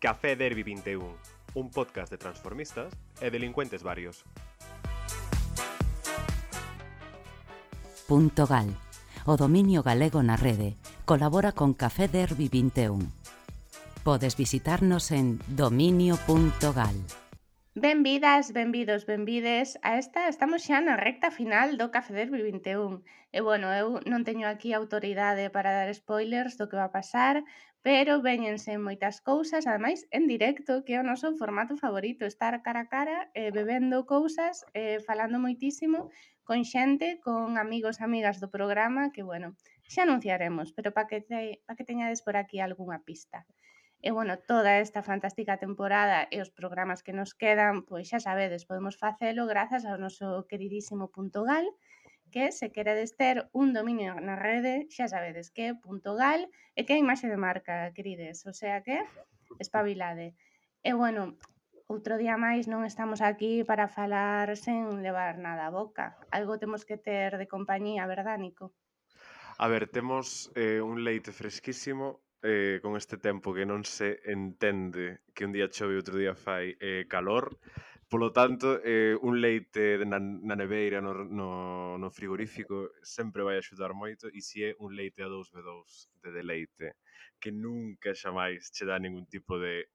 Café Derby 21, un podcast de transformistas e delincuentes varios. .gal, o dominio galego na rede, colabora con Café Derby 21. Podes visitarnos en dominio.gal. Benvidas, benvidos, benvides a esta, estamos xa na recta final do Café Derby 21. E bueno, eu non teño aquí autoridade para dar spoilers do que va a pasar, pero véñense moitas cousas, ademais en directo, que é o noso formato favorito, estar cara a cara, bebendo cousas, falando moitísimo con xente, con amigos e amigas do programa, que bueno, xa anunciaremos, pero para que teñades por aquí algunha pista. E bueno, toda esta fantástica temporada e os programas que nos quedan, pois xa sabedes, podemos facelo grazas ao noso queridísimo .gal, que se queredes ter un dominio na rede, xa sabedes que é .gal e que é imaxe de marca, querides, o sea que espabilade. E bueno, outro día máis non estamos aquí para falar sen levar nada a boca. Algo temos que ter de compañía, verdad, Nico? A ver, temos un leite fresquísimo con este tempo que non se entende que un día chove e outro día fai calor. Polo tanto, un leite na neveira, no frigorífico, sempre vai axudar moito, e se é un leite a 2B2 de deleite, que nunca xamais che dá ningún tipo de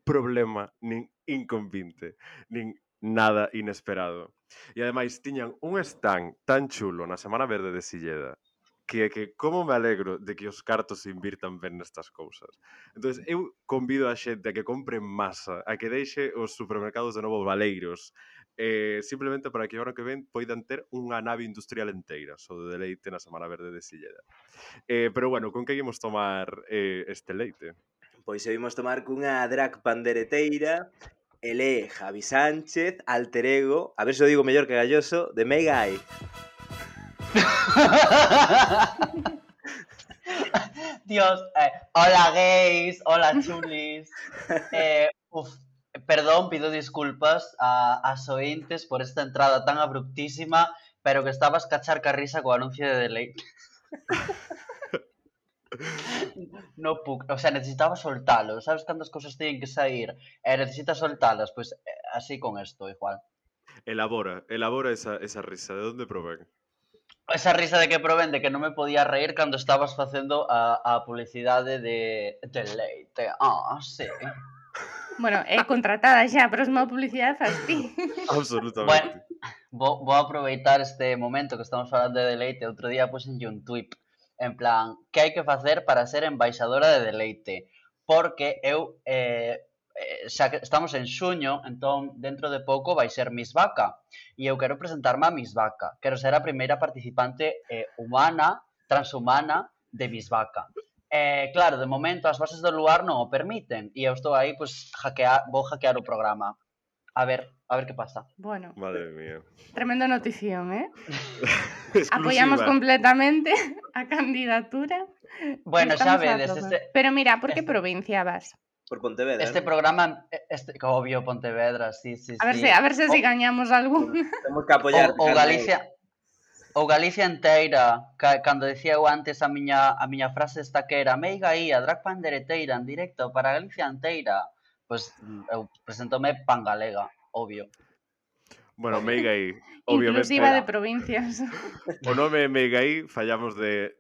problema, nin inconvinte, nin nada inesperado. E ademais tiñan un stand tan chulo na Semana Verde de Silleda que como me alegro de que os cartos se invirtan ben nestas cousas. Entón, eu convido a xente a que compre en masa, a que deixe os supermercados de novo baleiros, simplemente para que o ano que ven poidan ter unha nave industrial enteira, só de leite na Semana Verde de Silleda. Pero bueno, con que íamos tomar este leite? Pois seguimos tomar cunha drag pandereteira, ele Javi Sánchez, alter ego, a ver se o digo mellor que Galloso, de Meigai. Dios, hola gays, hola chulis. Perdón, pido disculpas a ointes por esta entrada tan abruptísima, pero que estabas cachar ca risa co anuncio de deleite. No puc, o sea, necesitaba soltalo. Sabes cantas cousas teñen que sair e necesitas soltalas, pois así con esto igual. Elabora esa risa, de onde provén? Esa risa de que provén de que non me podía reír cando estabas facendo a publicidade de leite. Sí. Bueno, é contratada xa, pero a publicidade faz ti. Absolutamente. Bueno, vou aproveitar este momento que estamos falando de deleite. Outro día puxenlle un tweet en plan, que hai que facer para ser embaixadora de deleite? Porque eu, xa que estamos en xuño, entón dentro de pouco vai ser Miss Vaca. E eu quero presentarme a Miss Vaca. Quero ser a primeira participante humana, transhumana de Miss Vaca. Claro, de momento as bases do lugar non o permiten. E eu estou aí, pois, vou hackear o programa. A ver que pasa. Bueno, madre mía. Tremenda notición, ¿eh? Apoyamos completamente a candidatura. Bueno, xa vedes. Pero mira, por que provincia vas? Por Pontevedra. Este programa, obvio, Pontevedra, sí. A ver se gañamos algún. Temos que apoiar. Ou Galicia enteira, cando dicía eu antes a miña frase esta que era Meigai, a drag pandereteira en directo para Galicia enteira. Pois eu presentome Pangalega, obvio. Bueno, Meigai, obviamente. Inclusiva de provincias. O nome Meigai fallamos de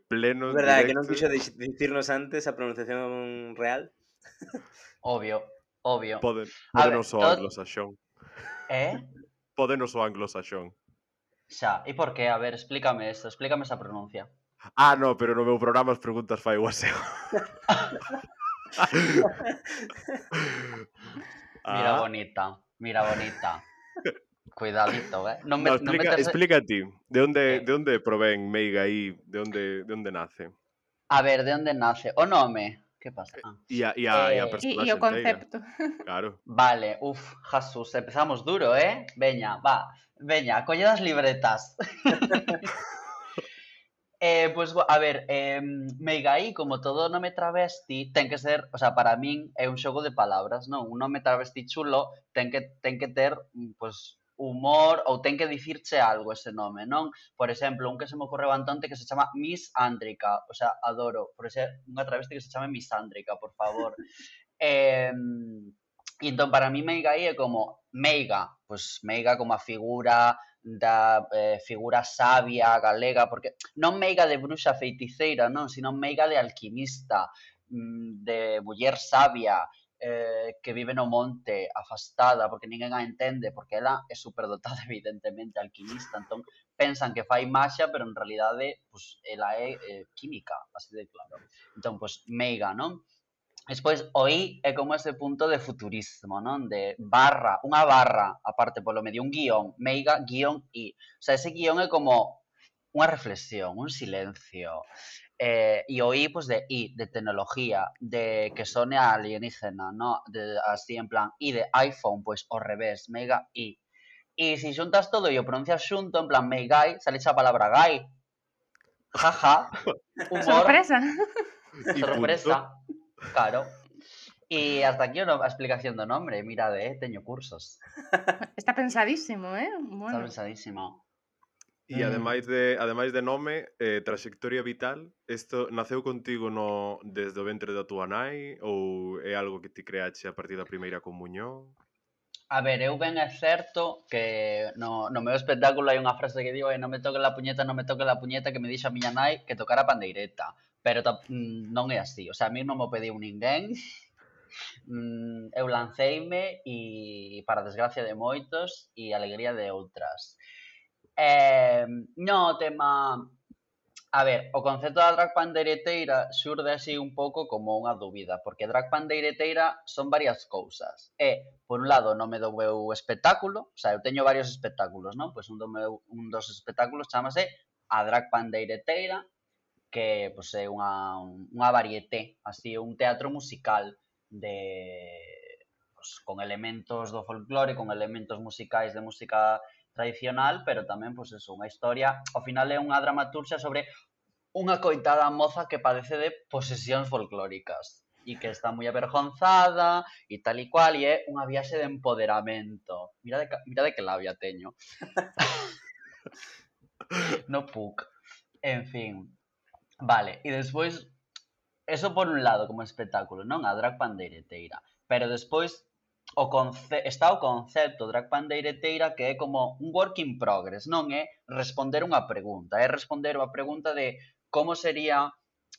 pleno. É verdade, que non quixo dicirnos antes a pronunciación real. Obvio. Pódenos o anglosaxón. Pódenos o anglosaxón. Xa, e por que? A ver, explícame esa pronuncia. No, pero no meu programa as preguntas fai o aseo. Mira bonita. Cuidadito, explica ti, de onde provén Meigai, de onde nace? A ver, de onde nace? O nome, que pasa? E a personaxe e o concepto. Claro. Vale, Jesús, empezamos duro, Veña, colled as libretas. Pois, a ver, Meigai, como todo nome travesti, ten que ser, o sea, para min é un xogo de palabras, non? Un nome travesti chulo ten que ter, pois, humor ou ten que dicirche algo ese nome, non? Por exemplo, un que se me ocorreu antonte que se chama Miss Ándrica, o sea, adoro, por ser unha travesti que se chame Miss Ándrica, por favor. E entón, para mí Meiga aí é como Meiga, pois Meiga como a figura da figura sabia galega, porque non Meiga de bruxa feiticeira, non, sino Meiga de alquimista, de muller sabia, que vive no monte, afastada, porque ninguén a entende, porque ela é superdotada, evidentemente, alquimista, entón pensan que fai maxia, pero en realidade, pois, ela é química, así de claro. Entón, pois, Meiga, non? Despois, o I é como ese punto de futurismo, non? De barra, unha barra, aparte polo medio, un guión, Meiga, guión I. O sea, ese guión é como unha reflexión, un silencio. E o I, pues de I, de tecnología, de que sone a alienígena, ¿no? De, así en plan, I de iPhone, pues ao revés, Mega I. E se xuntas todo e o pronuncias xunto, en plan, Meigai, sale a palabra gai. Jaja, humor, Sorpresa. Y sorpresa, punto. claro. E hasta aquí a explicación do nombre, mirade, teño cursos. Está pensadísimo, Está Bueno. pensadísimo. E ademais de nome, trayectoria vital, isto naceu contigo desde o ventre da túa nai ou é algo que ti creache a partir da primeira comuñón? A ver, eu ben é certo que no meu espectáculo hai unha frase que digo non me toque la puñeta, non me toque la puñeta, que me dixo a miña nai que tocara a pandeireta. Pero non é así, o sea, a mí non me pediu ninguén. Eu lanceime e para desgracia de moitos e alegría de outras. No, tema... A ver, o concepto da drag pandeireteira xurde así un pouco como unha dúbida, porque drag pandeireteira son varias cousas. Por un lado, o nome do meu espectáculo, o sea, eu teño varios espectáculos, non? Pois un dos espectáculos chamase a drag pandeireteira, que pois, é unha varieté, así, un teatro musical con elementos do folclore, con elementos musicais de música tradicional, pero tamén, pois, eso, unha historia, ao final é unha dramaturgia sobre unha coitada moza que padece de posesións folclóricas e que está moi avergonzada e tal e cual, e é unha viaxe de empoderamento. Mirade que labia teño. No puc. En fin. Vale, e despois, eso por un lado como espectáculo, non? A drag pandeireteira. Pero despois está o concepto drag pandeireteira que é como un work in progress, non é responder unha pregunta, é responder a pregunta de como sería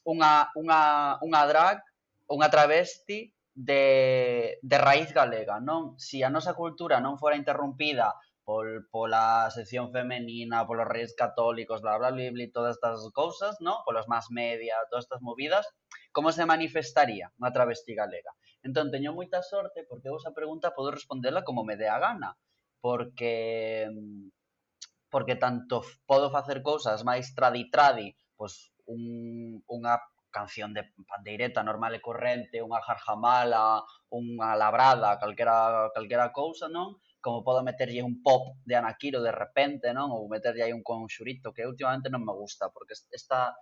unha drag, unha travesti de raíz galega, non? Si a nosa cultura non fora interrompida pola sección femenina, polos reis católicos, bla, bla, bla, bla, todas estas cousas, non? Polos más media, todas estas movidas, como se manifestaría unha travesti galega? Entón, teño moita sorte porque eu esa pregunta podo respondela como me dé a gana, porque tanto podo facer cousas máis tradi, pois unha canción de pandeireta normal e corrente, unha jarjamala, unha labrada, calquera cousa, non? Como podo meterlle un pop de Anaquiro de repente, non? Ou meterlle aí un conxurito que últimamente non me gusta, porque esta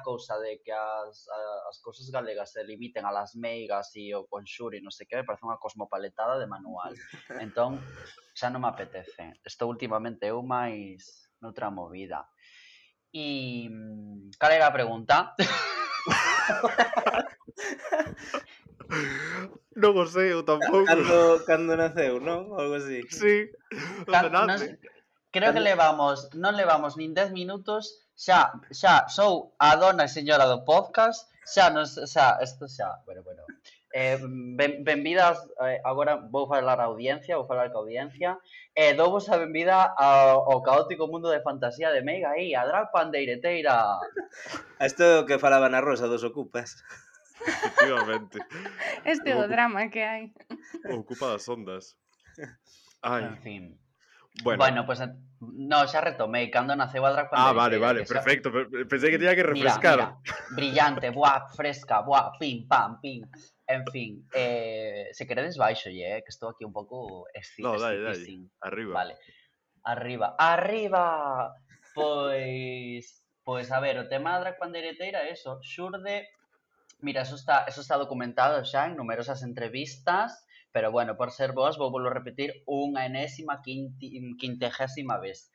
cousa de que as cousas galegas se limiten a las meigas e o conxuro e non sei que, me parece unha cosmopaletada de manual. Entón, xa non me apetece. Estou últimamente eu máis noutra movida. E cal era a pregunta? Non o sei, eu tampouco. Cando naceu, non? Algo así. Sí, onde nace? Creo que non levamos nin 10 minutos, xa sou a dona e señora do podcast, bueno. Benvidas, agora vou falar ca audiencia, douvos a benvida ao caótico mundo de fantasía de Meiga aí, a drag pandeireteira. Isto é o que falaba na Rosa dos Ocupas. Efectivamente. Este é o drama que hai. Ocupa das ondas. Ai. En fin. Bueno, pues no, xa retomei cando naceu a drag pandeireteira. Vale, perfecto. Pensei que tenía que refrescar. Mira, brillante, fresca, pim, pam, pim. En fin, se queredes baixolle, que estou aquí un pouco No, dale. Arriba. Vale. Arriba. Pois a ver, o tema da drag pandeireteira é eso, xurde. Mira, eso está documentado xa en numerosas entrevistas, pero bueno, por ser vos, vou volver a repetir unha enésima quintagésima vez.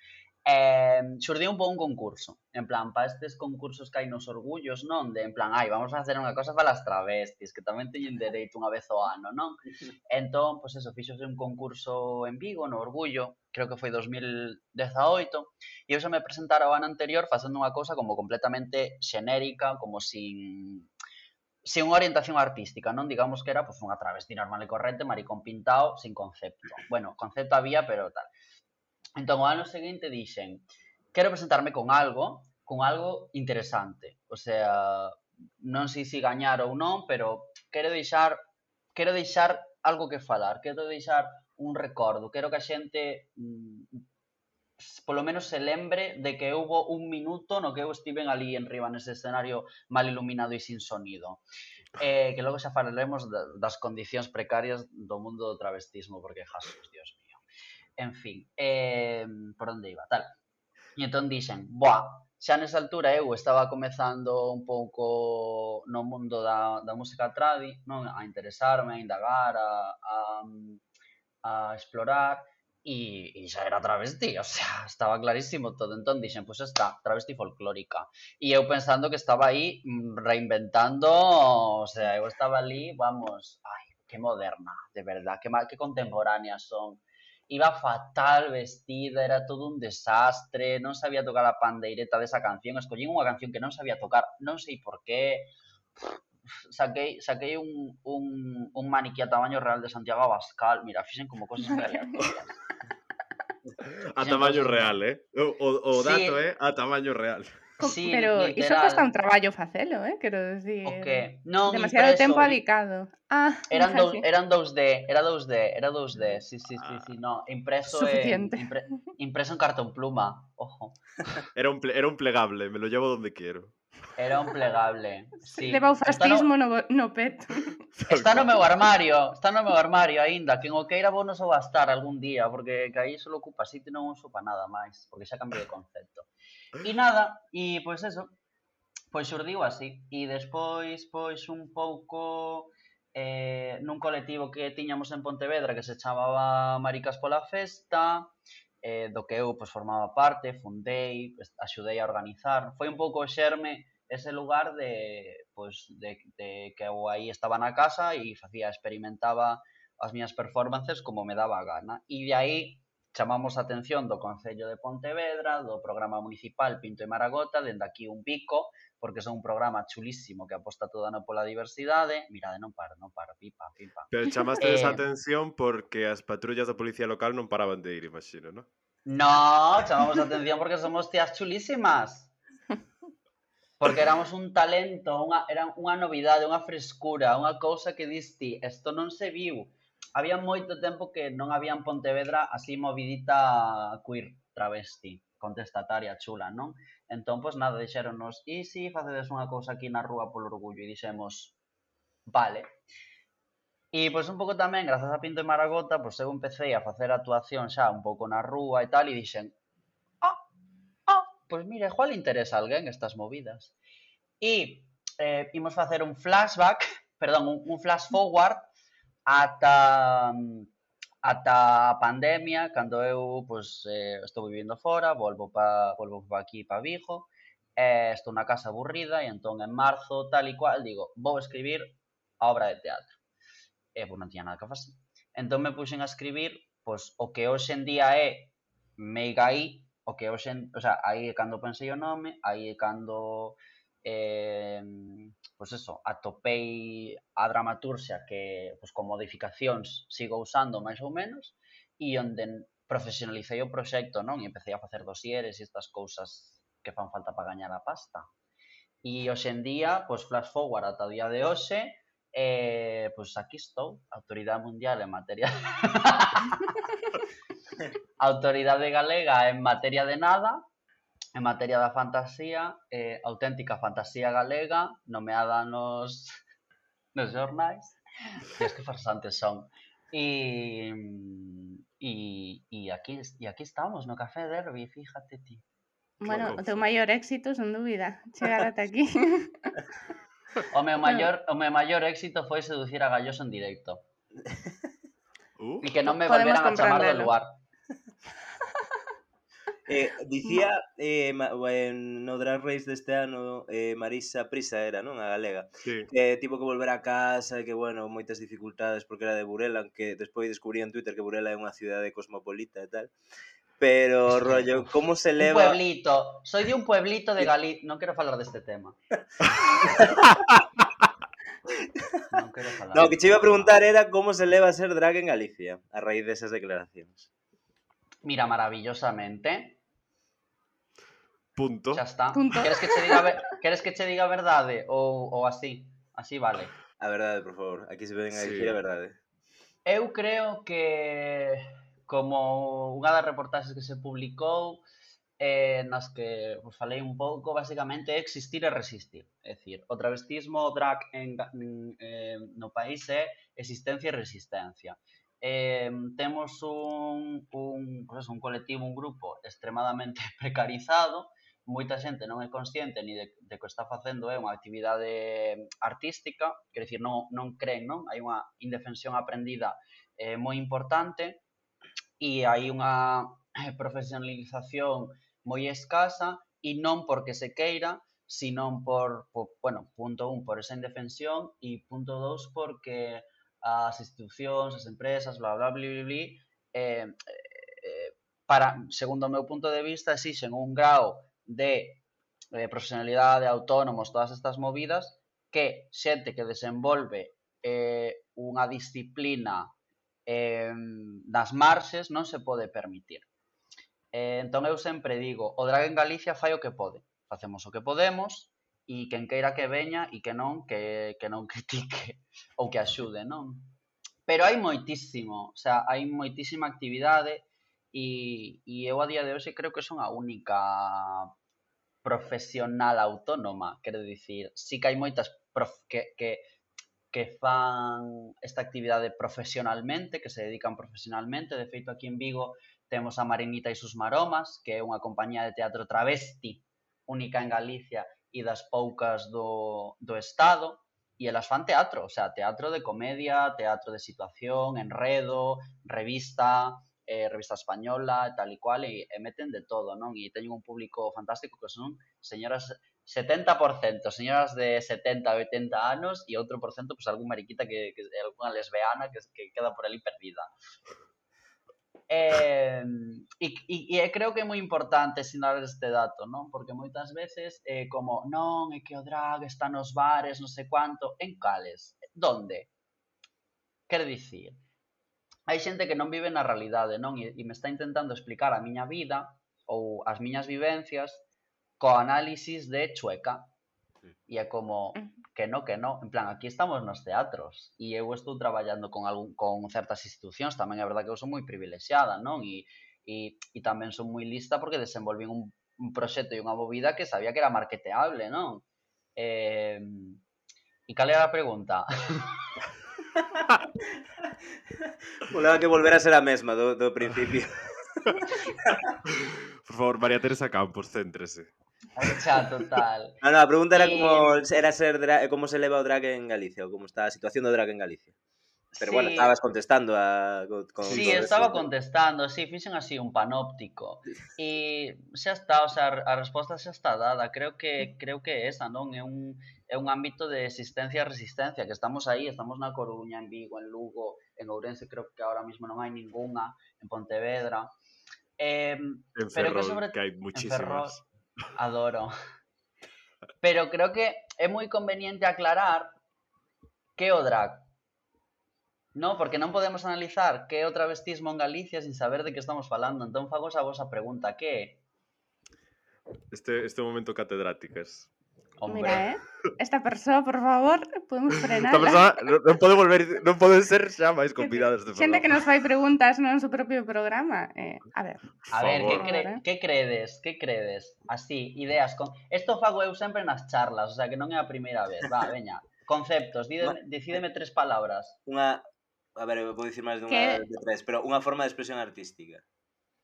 xurdiu un pouco un concurso, en plan, para estes concursos que hai nos orgullos, non? De, en plan, vamos a facer unha cosa para as travestis, que tamén teñen dereito unha vez ao ano, non? Entón, pois eso, fixose un concurso en Vigo, no Orgullo, creo que foi 2018, e eu xa me presentara o ano anterior facendo unha cousa como completamente xenérica, como sin unha orientación artística, non? Digamos que era pois, unha travesti normal e corrente, maricón pintado, sin concepto. Bueno, concepto había, pero tal. Entón, o ano seguinte dixen, quero presentarme con algo interesante. O sea, non sei se gañar ou non, pero quero deixar algo que falar, quero deixar un recordo, quero que a xente polo menos se lembre de que houbo un minuto no que eu estiven ali enriba nese escenario mal iluminado e sin sonido. Que logo xa falaremos das condicións precarias do mundo do travestismo, porque jasos, Dios mío. En fin, por onde iba, tal. E entón dixen, xa nesa altura eu estaba comezando un pouco no mundo da música tradi, non? A interesarme, a indagar, a explorar, e xa era travesti, o sea, estaba clarísimo todo. Entón dixen, pois está, travesti folclórica. E eu pensando que estaba aí reinventando, o sea, eu estaba ali, vamos, que moderna, de verdad, que contemporánea son. Iba fatal vestida, era todo un desastre, non sabía tocar a pandeireta desa canción, escollín unha canción que non sabía tocar, non sei por qué, saquei un maniquí a tamaño real de Santiago Abascal, mira, fixen como cosas moi aleatorias. A tamaño real, O dato é a tamaño real. Sí, pero iso literal. custa un traballo facelo, quero dicir. O que? Non, demasiado impreso. tempo adicado. Eran 2D, era 2D, sí, no, impreso suficiente. impreso en cartón pluma, ojo. Era un plegable, me lo llevo donde quiero. Era un plegable, sí. Leva o fascismo no peto. Está no meu armario aínda, que en o queira vou nos gastar algún día, porque que aí só ocupa sitio, non uso para nada máis, porque xa cambiei de concepto. E nada, e pois eso, pois xurdiu así, e despois, pois un pouco nun colectivo que tiñamos en Pontevedra que se chamaba Maricas pola Festa, do que eu pois formaba parte, fundei, axudei a organizar, foi un pouco o xerme ese lugar de que eu aí estaba na casa e experimentaba as miñas performances como me daba a gana, e de aí chamamos a atención do Concello de Pontevedra, do programa municipal Pinto e Maragota, dende aquí un pico, porque son un programa chulísimo que aposta toda pola diversidade. Mirade, non paro, pipa. Pero chamaste esa atención porque as patrullas da policía local non paraban de ir, imagino, non? No, chamamos a atención porque somos tías chulísimas. Porque éramos un talento, era unha novidade, unha frescura, unha cousa que diste, isto non se viu. Había moito tempo que non había en Pontevedra así movidita queer, travesti, contestataria, chula, non? Entón, pois nada, dixéronnos, e si facedes unha cousa aquí na rúa polo orgullo? E dixemos, vale. E pois un pouco tamén, grazas a Pinto e Maragota, pois eu empecé a facer actuación xa un pouco na rúa e tal, e dixen, pois mira, igual interesa a alguén estas movidas. E imos facer un flashback, un flash forward ata a pandemia, cando eu estou vivindo fora, volvo pa aquí, pa Vigo, estou na casa aburrida, e entón en marzo, tal e cual, digo, vou escribir a obra de teatro. E non tiña nada que facer. Entón me puxen a escribir o que hoxe en día é Meigaí, o que hoxe, aí é cando pensei o nome, aí é cando atopei a dramaturxia que con modificacións sigo usando máis ou menos, e onde profesionalicei o proxecto, non? E empecé a facer dosieres e estas cousas que fan falta para gañar a pasta. E hoxe en día, flash forward ata o día de hoxe, aquí estou, autoridade mundial en materia autoridade galega en materia de nada, en materia da fantasía, auténtica fantasía galega, nomeada nos xornais, e es que farsantes son. E aquí estamos, no Café Derby, fíjate ti. Bueno, o teu maior éxito, sen dúbida, chegar ata aquí. O meu maior éxito foi seducir a Galloso en directo. E que non me volveran a chamar do lugar. Dicía no Drag Race deste ano Marisa Prisa era, non? A galega. Sí. Que tivo que volver a casa e que, bueno, moitas dificultades porque era de Burela, que despois descubrí en Twitter que Burela é unha cidade cosmopolita e tal. Pero, Es que, rollo, como se un leva... pueblito, soy de un pueblito de Galicia, non quero falar deste tema. Non quero falar. No, que che iba a preguntar era como se leva a ser drag en Galicia a raíz desas declaracións. Mira, maravillosamente. Punto. Xa está. Punto. Queres que che diga a verdade ou así? Así vale. A verdade, por favor. Aquí se ven a Sí. dicir a verdade. Eu creo que como unha das reportaxes que se publicou nas que pues, falei un pouco, basicamente é existir e resistir. É dicir, o travestismo, o drag no país é existencia e resistencia. Temos pues un colectivo, un grupo extremadamente precarizado, moita xente non é consciente ni de que o está facendo é unha actividade artística, quer dicir, non creen, non? Hai unha indefensión aprendida moi importante e hai unha profesionalización moi escasa e non porque se queira, sino bueno, punto 1, por esa indefensión e punto 2, porque as institucións, as empresas, bla, bla, bla, bla, bla, segundo o meu punto de vista, exixen un grau de profesionalidade, autónomos, todas estas movidas, que xente que desenvolve unha disciplina das marxes non se pode permitir. Entón eu sempre digo, o drag en Galicia fai o que pode, facemos o que podemos e quen queira que veña e que non critique ou que axude, non? Pero hai moitísimo, o sea, hai moitísima actividade e eu a día de hoxe creo que son a única profesional autónoma, quero dicir, sí que hai moitas que fan esta actividade profesionalmente, que se dedican profesionalmente. De feito, aquí en Vigo temos a Marinita e sus Maromas, que é unha compañía de teatro travesti única en Galicia e das poucas do Estado, e elas fan teatro, o sea, teatro de comedia, teatro de situación, enredo, revista española, tal e cual, e meten de todo, non? E teñen un público fantástico que son señoras 70% señoras de 70, 80 anos e outro por cento, pues, algún mariquita que algunha lesbiana que queda por ali perdida. E creo que é moi importante sinalar este dato, non? Porque moitas veces como, non, é que o drag está nos bares, non sei cuánto, en cales? Donde? Quero dicir, hai xente que non vive na realidade, non? E me está intentando explicar a miña vida ou as miñas vivencias co análisis de Chueca. E é como, que no, en plan, aquí estamos nos teatros e eu estou traballando con certas institucións, tamén é verdade que eu son moi privilexiada, non? E tamén son moi lista porque desenvolvín un proxecto e unha movida que sabía que era marketeable, non? E cal era a pregunta? Voleva que volver a ser a mesma do principio. Por favor, María Teresa Campos, céntrese. Xa, total. No, a pregunta era como se leva o drag en Galicia, ou como está a situación do drag en Galicia. Pero, bueno, estabas contestando Sí, estaba contestando, sí, fixen así un panóptico. E xa está, o sea, a resposta xa está dada. Creo que é esa, non? É un ámbito de existencia e resistencia, que estamos aí, estamos na Coruña, en Vigo, en Lugo, en Ourense, creo que ahora mismo non hai ningunha, en Pontevedra. En Ferrol, que hai muchísimas. Adoro. Pero creo que é moi conveniente aclarar que é o drag. No, porque non podemos analizar que é o travestismo en Galicia sin saber de que estamos falando. Entón fago a vosa pregunta, que é? Este momento catedráticas. Hombre. Mira, esta persoa, por favor, podemos frenala. Esta persoa non pode ser xa máis convidadas de Xente programa. que nos fai preguntas no seu propio programa. A ver, que credes? Que credes? Así, ideas con... Esto fago eu sempre nas charlas, o sea, que non é a primeira vez. Va, veña. Conceptos, decídeme 3 palabras. A ver, vou dicir máis dunha de 3, pero unha forma de expresión artística.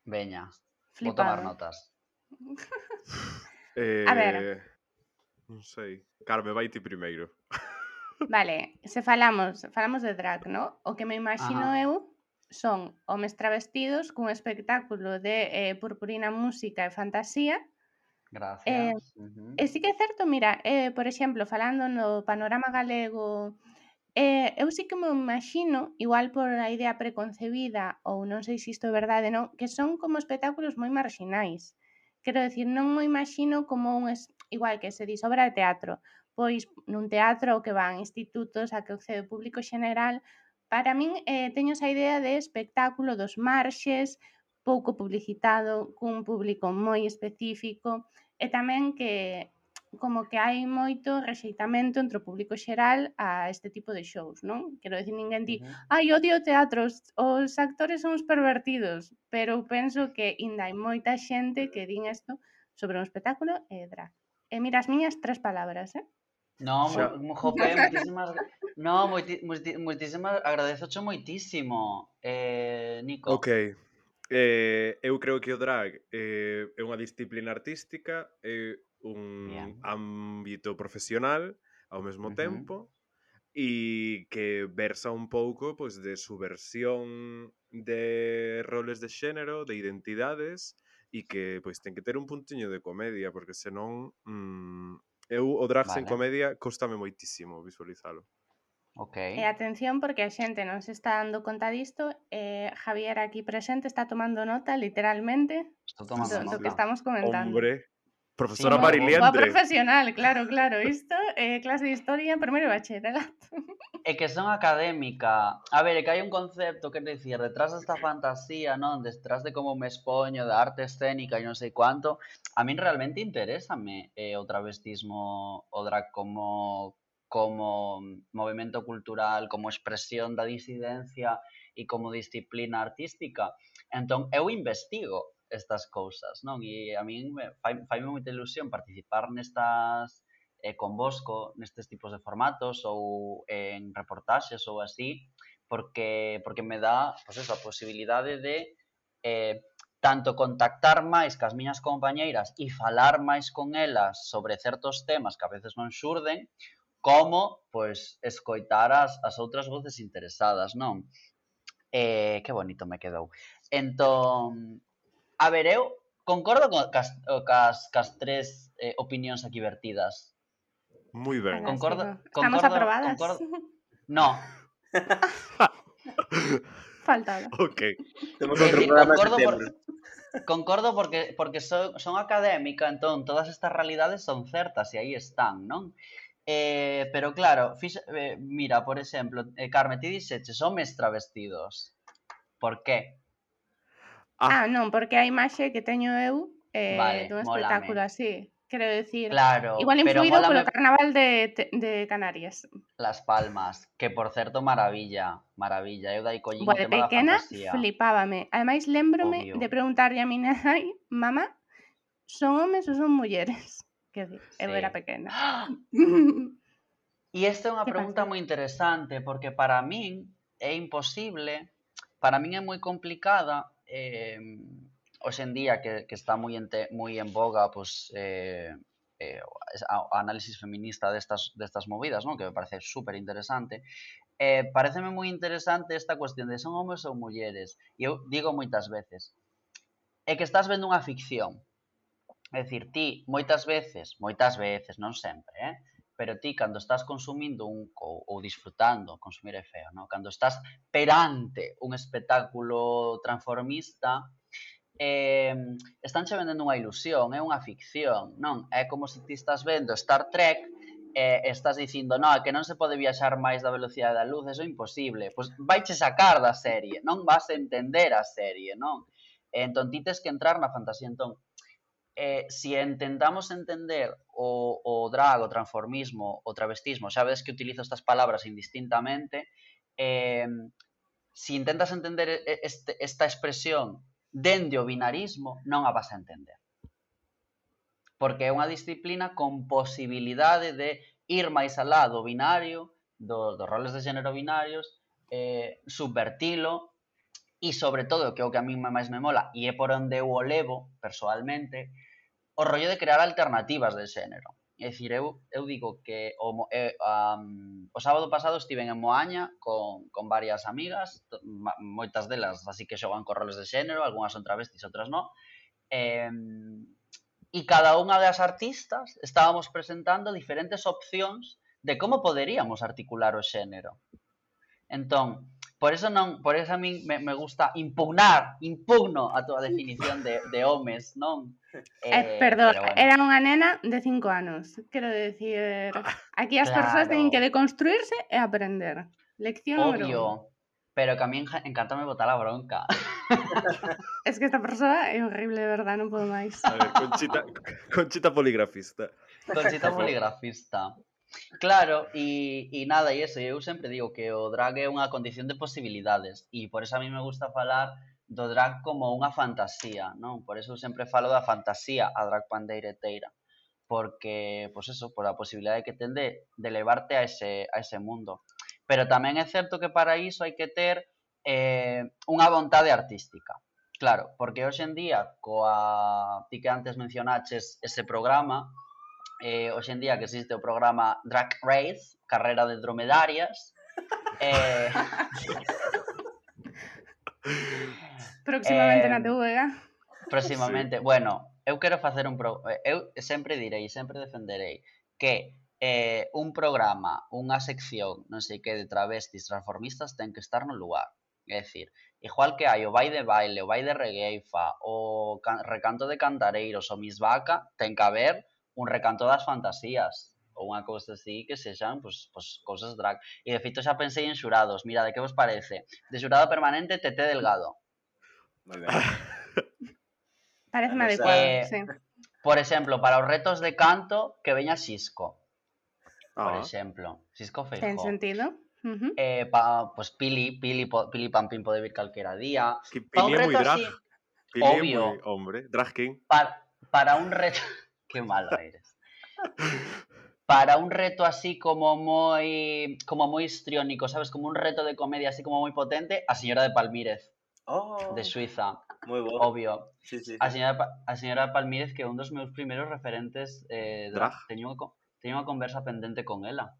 Veña, vou flipado. tomar notas. A ver. Non sei. Carme, vai ti primeiro. Vale, se falamos de drag, ¿no? O que me imagino eu son homes travestidos cun espectáculo de purpurina, música e fantasía. Gracias. E sí que é certo, mira, por exemplo, falando no panorama galego, eu sí que me imagino, igual por a idea preconcebida, ou non sei se isto é verdade, non, que son como espectáculos moi marxinais. Quero decir, non me imagino como igual que se dis obra de teatro, pois nun teatro ao que van institutos, a que accede o público xeneral, para min teño esa idea de espectáculo dos marxes, pouco publicitado, cun público moi específico, e tamén que como que hai moito rexeitamento entre o público xeral a este tipo de shows, non? Quero dicir, ninguén di, ai, odio o teatro, os actores son uns pervertidos, pero eu penso que ainda hai moita xente que din isto sobre un espectáculo e drag. E mira, as miñas 3 palabras, No, Xa, jope, moitísimas... No, moitísimas... Agradezocho moitísimo, Nico. ok. Eu creo que o drag é unha disciplina artística, é un Bien. ámbito profesional ao mesmo Ujú. tempo e que versa un pouco pois, de subversión de roles de xénero, de identidades e que pois ten que ter un puntiño de comedia porque senón eu o drag sen Vale, comedia cóstame moitísimo visualizalo. ok. E atención porque a xente non se está dando conta disto, Javier aquí presente está tomando nota, literalmente, Estou tomando do que nota. estamos comentando. Hombre, Sí, profesora Como boa Mariliendre. profesional, claro, claro, isto clase de historia, primeiro de bacharelato. É que son académica. A ver, é que hai un concepto, quer dicir, detrás desta fantasía, non? Detrás de como me expoño, da arte escénica e non sei cuánto, a min realmente interésame o travestismo, o drag como movimento cultural, como expresión da disidencia e como disciplina artística. Entón, eu investigo estas cousas, non? E a min faime moita ilusión participar nestas convosco nestes tipos de formatos ou en reportaxes ou así, porque me dá pues eso, a posibilidade de tanto contactar máis cas miñas compañeiras e falar máis con elas sobre certos temas que a veces non xurden, como, pois, escoitar as outras voces interesadas, non? Que bonito me quedou. Entón, a ver, eu concordo cas tres opinións aquí vertidas. Moi ben. Estamos aprobadas. No. Faltaba. Ok. Temos outro programa en setembro. Concordo porque son académica, entón todas estas realidades son certas e aí están, non? Pero claro, mira, por exemplo, Carme, ti dixeches homes travestidos. Por qué? Non, porque a imaxe que teño eu Vale, dun mólame. espectáculo así. Quero decir, Claro, igual pero influído mólame polo carnaval de Canarias. Las Palmas, que por certo maravilla. Eu dai collín o Boa, de tema da pequena fantasía. flipábame. Ademais, lémbrome Obvio. de preguntarlle a miña nai, mamá, son homes ou son mulleres? Que eu Sí. era pequena. E esta é unha pregunta moi interesante porque para min é imposible, para min é moi complicada hoxe en día que está moi en boga pues, a análisis feminista destas movidas, non? Que me parece super interesante. Pareceme moi interesante esta cuestión de son homes ou mulleres. E eu digo moitas veces, é que estás vendo unha ficción. É dicir, ti moitas veces, non sempre, pero ti cando estás consumindo ou disfrutando, consumir é feo, non? Cando estás perante un espectáculo transformista, estánche vendendo unha ilusión, é unha ficción, non? É como se ti estás vendo Star Trek estás dicindo, non, é que non se pode viaxar máis da velocidade da luz, eso é imposible. Pois vaiche sacar da serie, non vas a entender a serie, non? Entón ti tes que entrar na fantasía. Entón, si intentamos entender o drag, o transformismo, o travestismo, xa ves que utilizo estas palabras indistintamente, si intentas entender esta expresión dende o binarismo, non a vas a entender. Porque é unha disciplina con posibilidade de ir máis alá do binario, dos roles de xénero binarios, subvertilo, e sobre todo, que é o que a mí máis me mola, e é por onde eu o levo, persoalmente, o rollo de crear alternativas de xénero. É dicir, eu digo que o sábado pasado estiven en Moaña con varias amigas, moitas delas así que xogan con roles de xénero, algunhas son travestis, outras non, e cada unha das artistas estábamos presentando diferentes opcións de como poderíamos articular o xénero. Entón, por eso a min me gusta impugno a túa definición de homes, non? Perdón, Pero bueno, era unha nena de 5 anos. Quero decir, aquí as persoas teñen que claro, deconstruirse e aprender. Lección número 1. obvio, pero que a mí encántame botar a bronca. Es que esta persoa é horrible, de verdad, non podo máis. A ver, Conchita poligrafista. Conchita poligrafista. Claro, e nada, e eso, eu sempre digo que o drag é unha condición de posibilidades e por eso a mí me gusta falar do drag como unha fantasía, non? Por eso eu sempre falo da fantasía a drag pandeireteira, porque, pois eso, por a posibilidade que ten de levarte a ese mundo. Pero tamén é certo que para iso hai que ter unha vontade artística. Claro, porque hoxe en día, ti que antes mencionaches ese programa, hoxe en día que existe o programa Drag Race, carrera de dromedarias, Próximamente na TVG. próximamente, bueno, eu quero facer eu sempre direi, sempre defenderei que un programa, unha sección, non sei que, de travestis transformistas ten que estar no lugar. É dicir, igual que hai o vai de baile, o vai de regueifa, o recanto de cantareiros, o Miss Vaca, ten que haber un recanto das fantasías ou unha cousa así que sexan pois, cousas drag. E de feito xa pensei en xurados. Mira, de que vos parece? De xurado permanente, Tete Delgado. Moi ben. Parece Vamos adecuado, sí. Por exemplo, para os retos de canto, que veña Xisco. Por Ah, exemplo, Xisco Ten Feijóo. sentido. Pues Pili Pampín pode vir calquera día. que Pa un Pili é moi reto drag. así, Pili é obvio. moi hombre. Drag king. para un reto... Que malo eres. Para un reto así como moi histriónico, sabes? Como un reto de comedia así como moi potente, a señora de Palmírez, Oh, de Suiza, moi bo. obvio. Sí, sí, sí. A señora de Palmírez, que é un dos meus primeiros referentes Drag. teño unha conversa pendente con ela.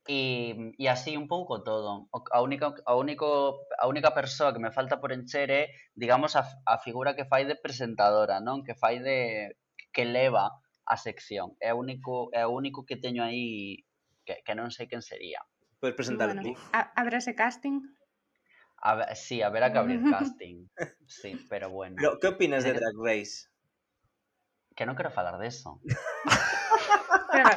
E así un pouco todo. A única persoa que me falta por encher é, digamos, a figura que fai de presentadora, non? Que fai que leva a sección. É o único que teño aí que non sei quen sería. Podes presentar Bueno, ti. habrá ese casting. Sí, haberá que abrir casting. Sí, pero bueno. Pero, que opinas de Drag Race? Que non quero falar deso. Pero,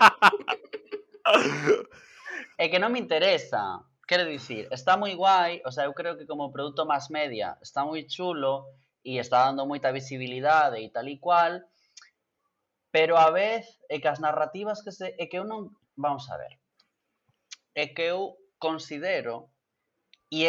É que non me interesa. Quero dicir, está moi guai, o sea, eu creo que como produto máis media está moi chulo e está dando moita visibilidade e tal e cual, pero a vez é que as narrativas é que eu non... Vamos a ver. É que eu considero e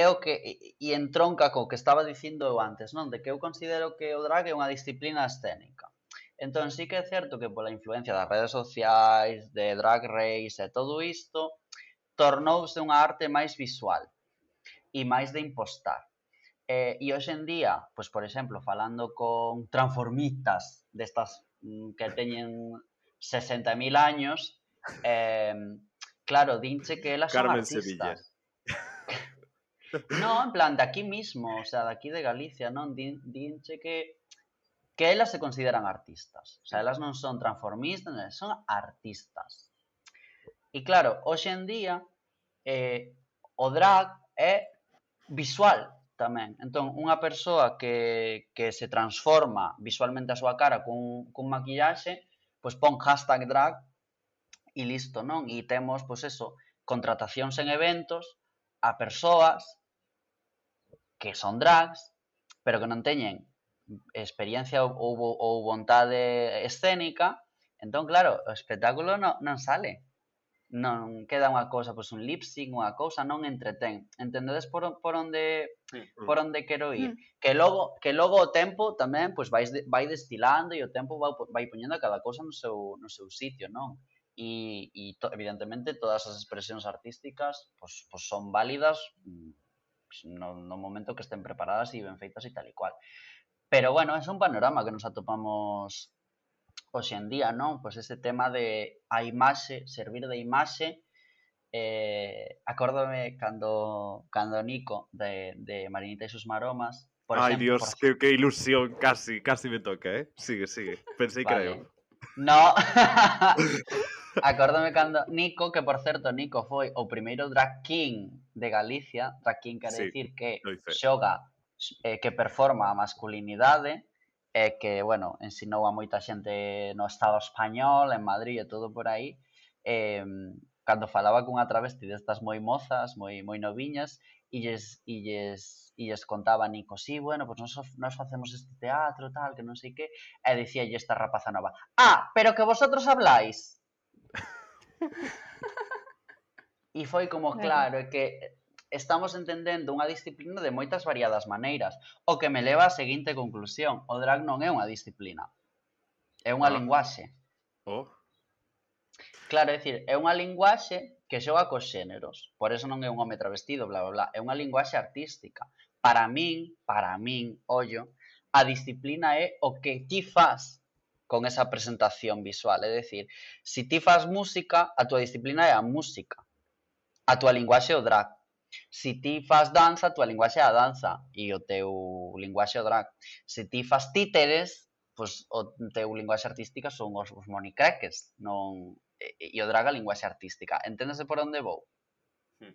entronca co que estaba dicindo eu antes, non? De que eu considero que o drag é unha disciplina escénica. Entón, sí que é certo que pola influencia das redes sociais, de Drag Race e todo isto, tornouse unha arte máis visual e máis de impostar. E hoxe en día, pois por exemplo, falando con transformistas destas que teñen 60.000 años, claro, dinche que elas son Carmen artistas. Sevilla. No, en plan, de aquí mismo, o sea, de aquí de Galicia, non? Dinche que elas se consideran artistas. O sea, elas non son transformistas, son artistas. E claro, hoxe en día o drag é visual tamén. Entón, unha persoa que se transforma visualmente a súa cara cun maquillaxe, pois pon hashtag drag e listo, non? E temos, pois eso, contratacións en eventos a persoas que son drags, pero que non teñen experiencia ou vontade escénica. Entón, claro, o espectáculo non sale. Non queda unha cousa, pois un lip sync, unha cousa, non entretén. Entendedes por onde quero ir? Que logo o tempo tamén pois vai destilando e o tempo vai poñendo a cada cousa no seu sitio, non? E evidentemente todas as expresións artísticas pois son válidas no momento que estén preparadas e ben feitas e tal e cual. Pero bueno, é un panorama que nos atopamos hoxe en día, non? Pois ese tema de a imaxe, servir de imaxe, acórdome cando Nico de Marinita e sus maromas, por Ai, exemplo, Dios, que ilusión, casi me toca, Sigue. Pensei que era eu. vale. No, acórdame cando Nico, que por certo Nico foi o primeiro drag king de Galicia, drag king quere Sí, dicir que doy fe. xoga, que performa a masculinidade, e que, bueno, ensinou a moita xente no Estado español, en Madrid e todo por aí, cando falaba cunha travesti destas moi mozas, moi noviñas, e lles contaba Nico, sí, bueno, pues nós facemos este teatro, tal, que non sei que, e dicíalle esta rapaza nova, pero que vosotros habláis. E foi como, claro, é que estamos entendendo unha disciplina de moitas variadas maneiras, o que me leva á seguinte conclusión, o drag non é unha disciplina, é unha linguaxe. Oh, Claro, é dicir, é unha linguaxe que xoga cos xéneros, por eso non é un home travestido, bla, bla, bla, é unha linguaxe artística. Para min, ollo, a disciplina é o que ti fas con esa presentación visual, é dicir, se ti fas música, a túa disciplina é a música, a túa linguaxe é o drag. Se ti fas danza, a túa linguaxe é a danza e o teu linguaxe é o drag. Se ti fas títeres, pois o teu linguaxe artística son os monicreques, non... E o drag a linguaxe artística. Enténdese por onde vou?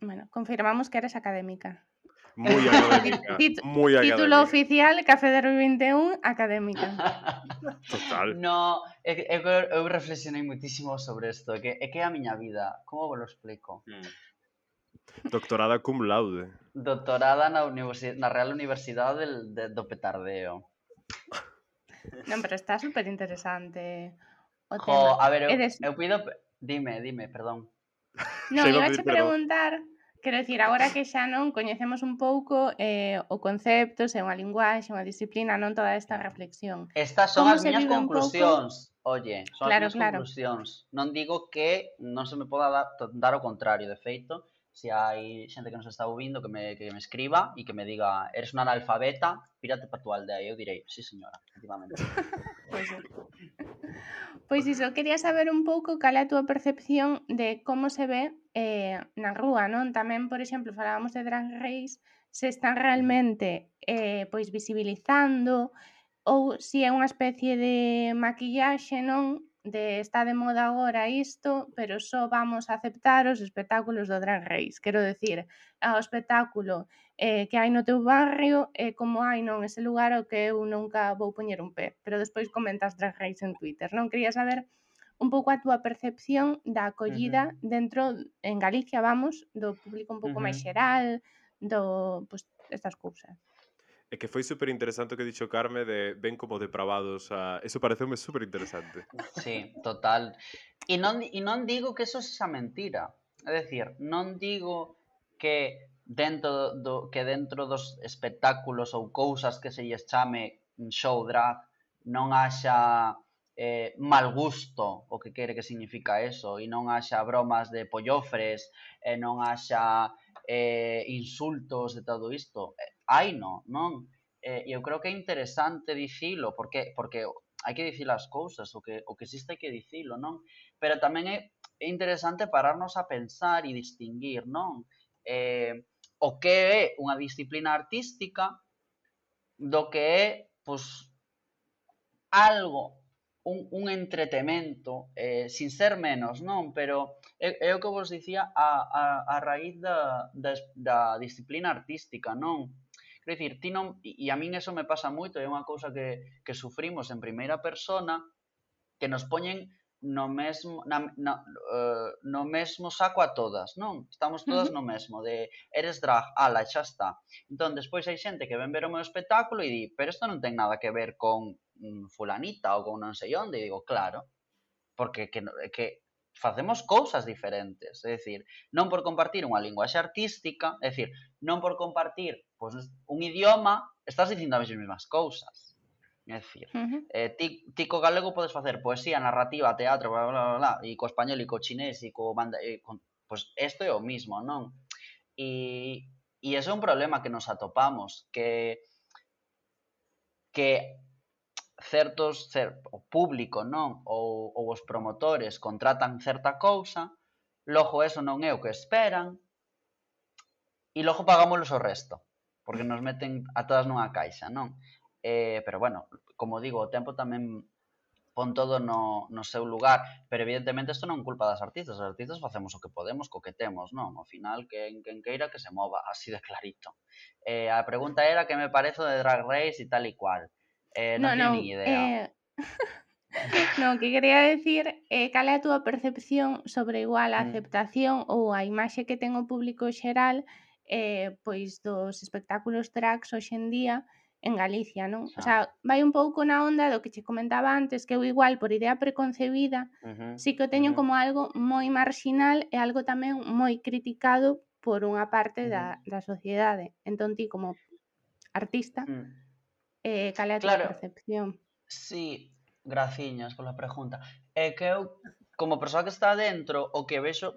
Bueno, confirmamos que eres académica. moi académica, moi Título académica. oficial, Café Derby 21, académica. Total. No, eu reflexionei muitísimo sobre isto, é que é a miña vida. Como vos lo explico? Doctorada cum laude. Doctorada na Real Universidade do Petardeo. Non, pero está super interesante o Jo, tema. a ver, Eres... eu pido... Dime, perdón. Non, Xa iba a iba pedir a preguntar, quero dicir, agora que xa non coñecemos un pouco o concepto, se é unha linguaxe, unha disciplina, non toda esta reflexión. Estas son Como as se miñas vive un pouco? conclusións. Oye, son Claro, as miñas claro. conclusións. Non digo que non se me poda dar o contrario. De feito, se hai xente que nos está ouvindo que me escriba e que me diga eres unha analfabeta, pírate para túa aldea. E eu direi, sí señora, efectivamente. Pois iso, quería saber un pouco cal é a túa percepción de como se ve na rúa, non? Tamén, por exemplo, falábamos de Drag Race, se están realmente pois visibilizando ou se é unha especie de maquillaxe, non? De está de moda agora isto, pero só vamos a aceptar os espectáculos do Drag Race. Quero decir, o espectáculo que hai no teu barrio como hai non ese lugar ao que eu nunca vou poñer un pé. Pero despois comentas Drag Race en Twitter, non? Quería saber un pouco a túa percepción da acollida dentro, en Galicia, vamos, do público un pouco máis xeral, pois, estas cousas. É que foi super interesante o que dixo Carme de ven como depravados Eso pareceume super interesante. Sí, total. E non digo que eso sexa mentira. É dicir, non digo que dentro dos espectáculos ou cousas que se lles chame show drag non haxa mal gusto, o que quere que significa eso, e non haxa bromas de pollofres, e non haxa insultos de todo isto. Hai non? E eu creo que é interesante dicilo, porque hai que dicir as cousas, o que existe hai que dicilo, non? Pero tamén é interesante pararnos a pensar e distinguir, non? O que é unha disciplina artística do que é, pois, algo, un entretemento, sin ser menos, non? Pero é o que vos dicía a raíz da disciplina artística, non? Quero dicir, ti non, e a min eso me pasa moito, é unha cousa que sufrimos en primeira persona, que nos poñen no mesmo saco a todas, non? Estamos todas no mesmo, de eres drag, ala, xa está. Entón, despois hai xente que ven ver o meu espectáculo e di, pero isto non ten nada que ver con fulanita ou con non sei onde, e digo, claro, porque que facemos cousas diferentes, é dicir, non por compartir unha linguaxe artística, é dicir, non por compartir pois, un idioma, estás dicindo as mesmas cousas. É dicir, ti co galego podes facer poesía, narrativa, teatro, bla, bla, bla, bla, e co español e co chinés e co pois isto é o mismo, non? E iso é un problema que nos atopamos, que o público, non? Ou os promotores contratan certa cousa, logo eso non é o que esperan, e logo pagámoslos o resto, porque nos meten a todas nunha caixa, non? Pero bueno, como digo, o tempo tamén pon todo no seu lugar, pero evidentemente isto non é culpa das artistas, os artistas facemos o que podemos co que temos, non? Ao final, quen queira que se mova, así de clarito. A pregunta era que me parece de Drag Race e tal e cual. Non teño nin idea. No, que quería decir cal é a túa percepción sobre igual a aceptación ou a imaxe que ten o público xeral pois dos espectáculos drags hoxe en día en Galicia, non? O sea, vai un pouco na onda do que che comentaba antes, que eu igual por idea preconcebida sí que o teño como algo moi marxinal e algo tamén moi criticado por unha parte da sociedade. Entón ti como artista cal é a túa percepción? Sí, graciñas pola pregunta. É que eu, como persoa que está dentro, o que vexo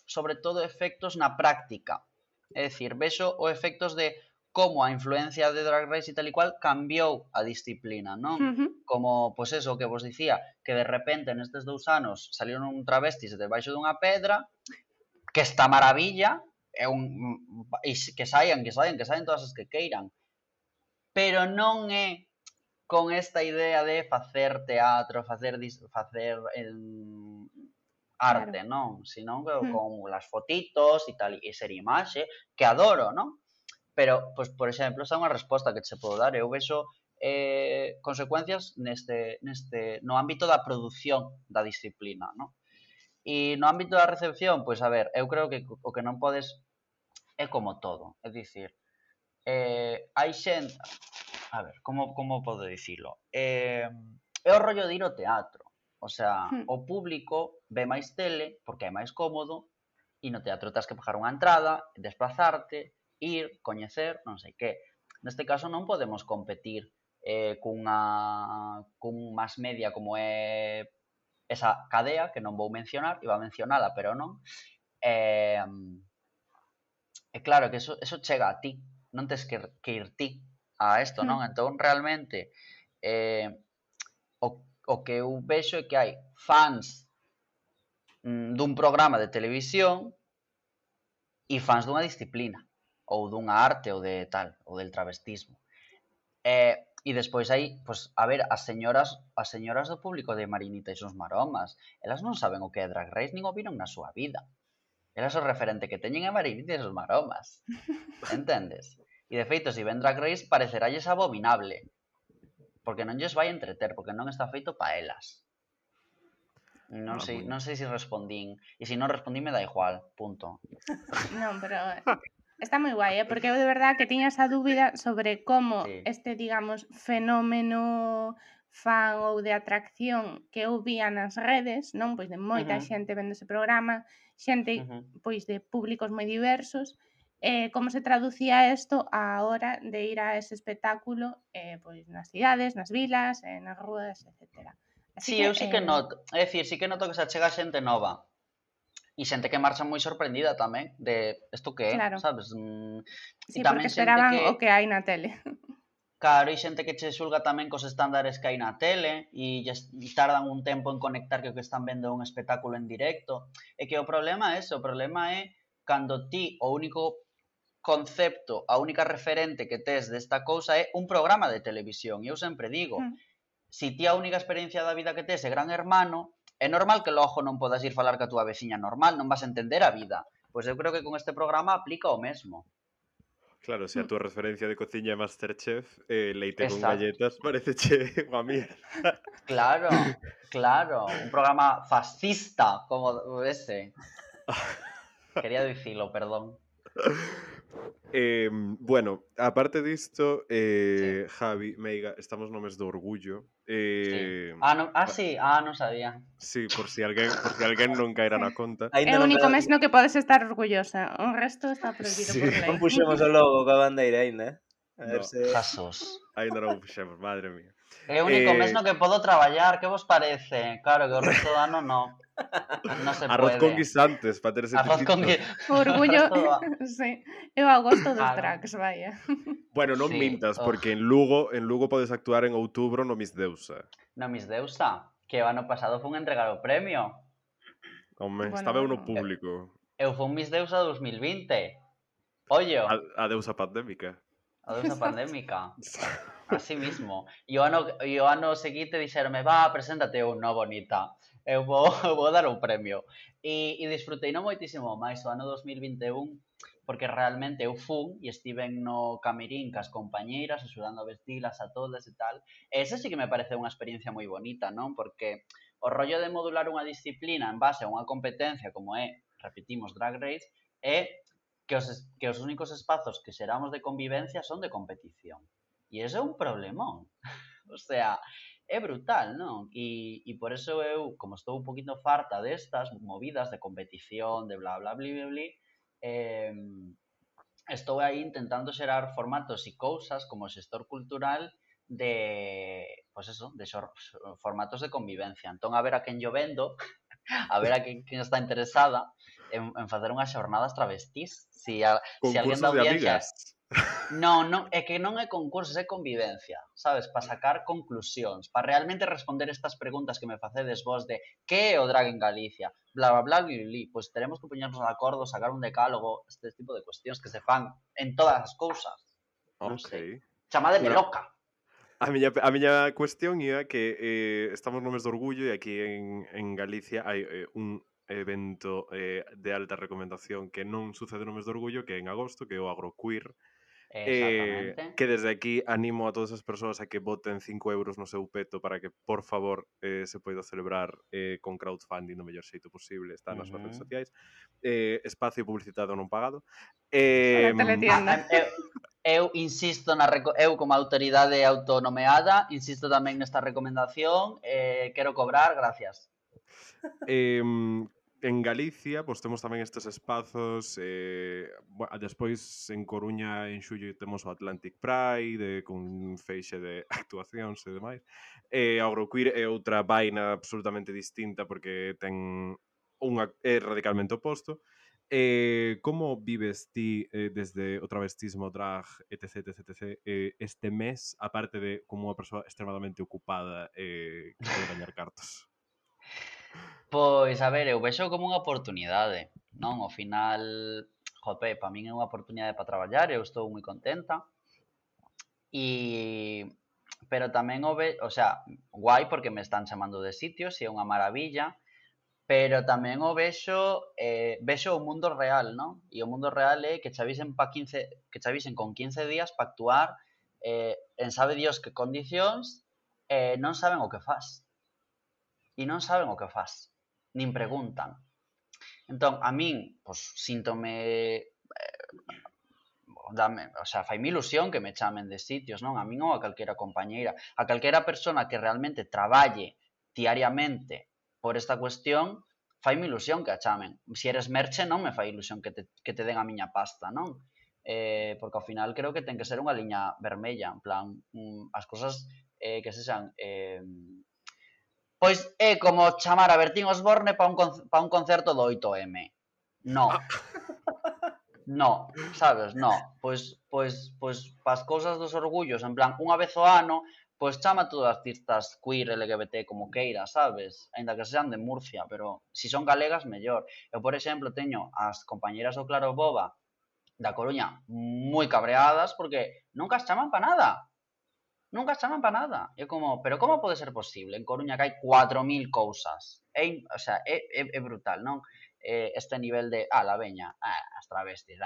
sobre todo efectos na práctica. É dicir, vexo os efectos de como a influencia de Drag Race e tal e cual cambiou a disciplina, non? Como, pois eso, que vos dicía, que de repente nestes 2 anos salieron un travestis debaixo dunha pedra, que está maravilla, e que saian todas as que queiran. Pero non é con esta idea de facer teatro, facer arte, non? Senón con las fotitos e tal, e ser imaxe, que adoro, non? Pero, pois, por exemplo, esa é unha resposta que se podo dar. Eu vexo consecuencias no ámbito da produción da disciplina, non? E no ámbito da recepción, pois, a ver, eu creo que o que non podes é como todo. É dicir, hai xente... A ver, como podo dicilo? É o rollo de ir ao teatro. O sea, o público ve máis tele porque é máis cómodo e no teatro tens que pagar unha entrada, desplazarte, ir, coñecer, non sei que. Neste caso non podemos competir cun mass media como é esa cadea, que non vou mencionar, iba a mencionala, pero non. E claro que eso chega a ti, non tens que ir ti a isto, non? Entón, realmente, o que eu vexo é que hai fans dun programa de televisión e fans dunha disciplina, ou dunha arte, ou de tal, ou del travestismo. E despois hai, pois, a ver, as señoras do público de Marinita e sus maromas, elas non saben o que é Drag Race, nin o viron na súa vida. Elas o referente que teñen é Marinita e sus maromas. Entendes? E de feito, se ven Drag Race, pareceralles abominable. Porque non lles vai entreter, porque non está feito pa elas. Non sei se respondín. E se non respondín, me da igual. Punto. Non, pero está moi guai, porque eu de verdad que tiña esa dúbida sobre como este, digamos, fenómeno fan ou de atracción que eu vía nas redes, non? Pois de moita xente vendo ese programa, xente pois de públicos moi diversos, como se traducía isto á hora de ir a ese espectáculo pois nas cidades, nas vilas, nas rúas, etc. Sí, eu sí que noto, é dicir, sí que noto que se achega xente nova e xente que marcha moi sorprendida tamén de isto que é, sabes? Sí, porque esperaban o que hai na tele. Claro, e xente que che xulga tamén cos estándares que hai na tele e tardan un tempo en conectar que o que están vendo é un espectáculo en directo. E que o problema é ese, o problema é cando ti o único concepto, a única referente que tes desta cousa é un programa de televisión. E eu sempre digo, se ti a única experiencia da vida que tes é Gran Hermano, é normal que logo non podas ir falar ca túa veciña normal, non vas a entender a vida. Pois eu creo que con este programa aplica o mesmo. Claro, se a túa referencia de cociña é Masterchef, leite con galletas pareceche unha mierda. Claro, un programa fascista como ese. Quería dicilo, perdón. Bueno, aparte disto, Javi, Meiga, estamos no mes do orgullo. Non sabía. Sí, por si alguén non caera na conta. É o único mes no que podes estar orgullosa. O resto está prohibido por lei. Non puxemos o logo coa bandeira aínda, Jasos. Ainda non o puxemos, madre mía. É o único mes Eh, no que podo traballar, que vos parece? Claro que o resto do ano non. Non se arroz con puede. guisantes para ter ese Arroz con tipito. O o orgullo, resto do sí, eu agosto dos Claro. drags, vaya. Bueno, non Sí, mintas, porque en Lugo podes actuar en outubro no Miss Deusa. no Miss Deusa, que o ano pasado fun entregar o premio. Home, Bueno, estaba eu no bueno. público. Eu fun Miss Deusa 2020. Ollo, A deusa pandémica. a deusa Exacto. pandémica. Así mismo. E o ano seguinte dixeronme, va, preséntate eu, no, bonita. Eu vou, vou dar un premio. E disfrutei non moitísimo máis o ano 2021, porque realmente eu fun e estiven no camirín cas compañeiras, axudando a vestilas a todas e tal. E esa sí que me parece unha experiencia moi bonita, non? Porque o rollo de modular unha disciplina en base a unha competencia como repetimos, Drag Race, é que os únicos espazos que xeramos de convivencia son de competición. E iso é un problemón. O sea, é brutal, non? E por eso eu, como estou un poquito farta destas movidas de competición, de bla, bla, bli, bli, bli, eh, estou aí intentando xerar formatos e cousas como xestor cultural de, pues eso, de formatos de convivencia. Entón, a ver a quen yo vendo, a ver a quen está interesada en facer unhas xornadas travestís. Si alguén da Concursos de audiencia amigas. non, é que non é concursos, é convivencia, sabes? Para sacar conclusións, para realmente responder estas preguntas que me facedes vos de que é o drag en Galicia, bla, bla, bla, bli, bli, pois teremos que poñernos de acordo, sacar un decálogo, este tipo de cuestións que se fan en todas as cousas, non Ok. sei. Chamademe Bueno, loca. a miña cuestión ia que estamos no mes do orgullo e aquí en Galicia hai un evento de alta recomendación que non sucede no mes do orgullo, que é en agosto, que é o Agroqueer, Exactamente. que desde aquí animo a todas as persoas a que voten 5 euros no seu peto para que, por favor, se poida celebrar con crowdfunding do mellor xeito posible, está nas súas redes sociais. Espacio publicitado non pagado. La Em, teletienda. Eu insisto eu como autoridade autonomeada, insisto tamén nesta recomendación, quero cobrar, gracias. En Galicia, pois temos tamén estes espazos, despois en Coruña en xullo temos o Atlantic Pride, con un feixe de actuacións e demais. Agroqueer é outra vaina absolutamente distinta porque é radicalmente oposto. Como vives ti desde o travestismo, drag, etc, etc, etc, este mes, aparte de como unha persoa extremadamente ocupada que quere gañar cartos? Pois, a ver, eu vexo como unha oportunidade, non? Ao final, jope, para min é unha oportunidade para traballar, eu estou moi contenta. Pero tamén o sea, guai porque me están chamando de sitios e é unha maravilla, pero tamén o vexo o mundo real, non? E o mundo real é que que che avisen con 15 días para actuar en sabe Dios que condicións non saben o que fas. E non saben o que fas, nin preguntan. Entón, a min, pois, síntome o sea, faime ilusión que me chamen de sitios, non? A min ou a calquera compañeira, a calquera persona que realmente traballe diariamente por esta cuestión, faime ilusión que a chamen. Se eres merche non me fai ilusión que te den a miña pasta, non? Porque ao final creo que ten que ser unha liña vermella, en plan, as cousas que sexan pois é como chamar a Bertín Osborne para un concerto do 8M. No. No, sabes? No. Pois pas cousas dos orgullos, en plan, unha vez ao ano, pois chama todas as artistas queer, LGBT, como queira, sabes? Aínda que sean de Murcia, pero si son galegas, mellor. Eu, por exemplo, teño as compañeras do Claro Boba da Coruña moi cabreadas porque nunca as chaman para nada. Nunca as chaman para nada. É como, pero como pode ser posible? En Coruña que hai 4.000 cousas. O sea, é brutal, non? Este nivel de, la veña, as travestis,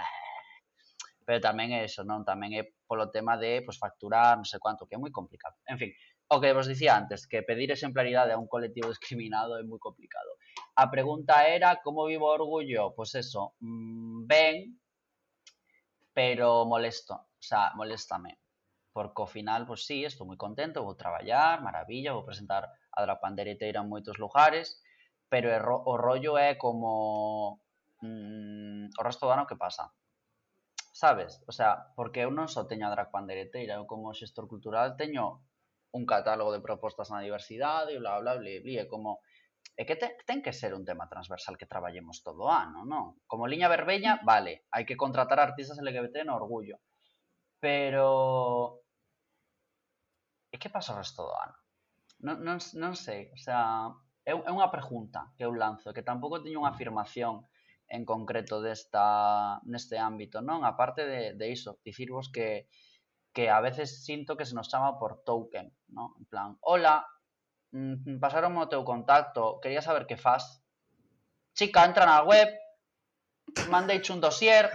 pero tamén é eso, non? Tamén é polo tema de pues, facturar, non sei cuánto, que é moi complicado. En fin, o que vos dicía antes, que pedir exemplaridade a un colectivo discriminado é moi complicado. A pregunta era, como vivo o orgullo? Pois eso, ben, pero molesto, o sea, moléstame. Porque ao final, pois sí, estou moi contento, vou traballar, maravilla, vou presentar a Drag Pandereteira en moitos lugares, pero o rollo é como o resto do ano que pasa. Sabes? O sea, porque eu non só teño a Drag Pandereteira, eu como xestor cultural teño un catálogo de propostas na diversidade, e bla, bla, bla, bla, é como... É que ten que ser un tema transversal que traballemos todo o ano, non? Como liña verbeña, vale, hai que contratar artistas LGBT no orgullo. Pero... E que pasa o resto do ano? Non sei, o sea, é unha pregunta que eu lanzo, que tampouco teño unha afirmación en concreto neste ámbito, non? A parte de iso, dicirvos que a veces sinto que se nos chama por token, non? En plan, hola, pasaron o teu contacto, quería saber que faz. Chica, entra na web, mandeiche un dossier,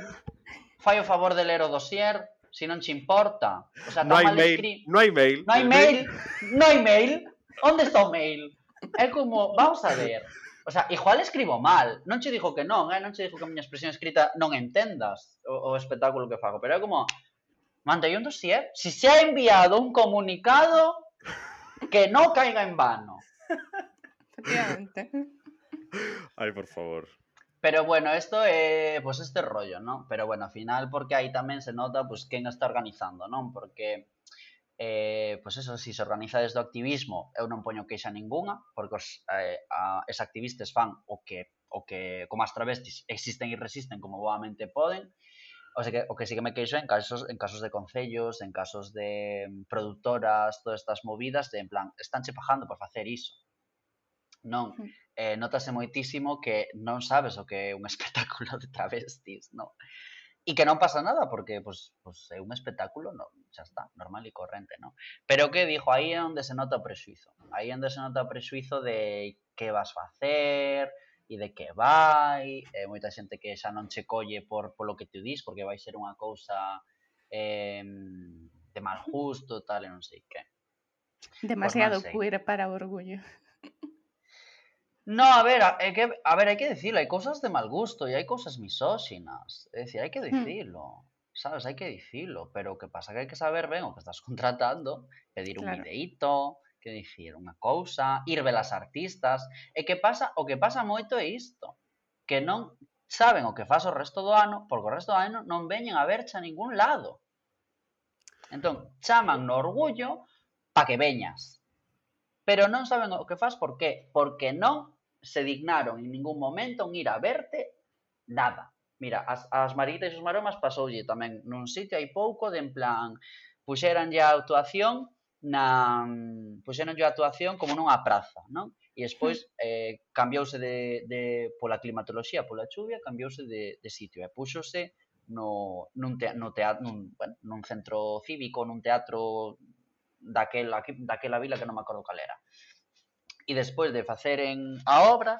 fai o favor de ler o dossier, se non che importa. O sea, No hai mail. Non hai mail. Onde está o mail? É como, vamos a ver. O sea, igual escribo mal. Non che digo que non, non che digo que a miña expresión escrita non entendas o espectáculo que fago, pero é como, mandei un dossier. Si se ha enviado un comunicado, que non caiga en vano. Efectivamente. Ai, por favor. Pero bueno, esto é pues este rollo, ¿no? Pero bueno, al final porque aí tamén se nota pues quen está organizando, non? Porque pues eso, si se organiza desde o activismo, eu non poño queixa ningunha, porque os activistas fan o que como as travestis existen e resisten como boamente poden. O sea que o que sí que me queixo en casos de concellos, en casos de productoras, todas estas movidas de en plan, estánche pagando por facer iso. Non, notase moitísimo que non sabes o que é un espectáculo de travestis, non? E que non pasa nada porque pues é un espectáculo, non, xa está, normal e corrente, non? Pero que dixo, aí é onde se nota o prexuizo. Aí é onde se nota o prexuizo de que vas facer e de que vai, moita xente que xa non che colle polo que te dis, porque vai ser unha cousa de mal gusto, tal, e non sei que. Demasiado queer para o orgullo. No, a ver, hai que dicilo, hai cousas de mal gusto e hai cousas misóxinas. É dicir, hai que dicilo, sabes, hai que dicilo, pero o que pasa que hai que saber ben o que estás contratando, pedir un videíto, que dicir unha cousa, ir ver as artistas, e que pasa, o que pasa moito é isto, que non saben o que faz o resto do ano, porque o resto do ano non veñen a verche a ningún lado. Entón, chaman no orgullo pa que veñas. Pero non saben o que faz, por qué? Porque non se dignaron en ningún momento en ir a verte nada. Mira, as Mariquitas e os Maromas pasoulle tamén nun sitio hai pouco de en plan, puxéranlle a actuación como nunha praza, non? E despois cambiouse pola climatoloxía, pola chuvia, cambiouse de sitio e púxose nun centro cívico, nun teatro daquela vila que non me acordo cal era. E despois de faceren a obra,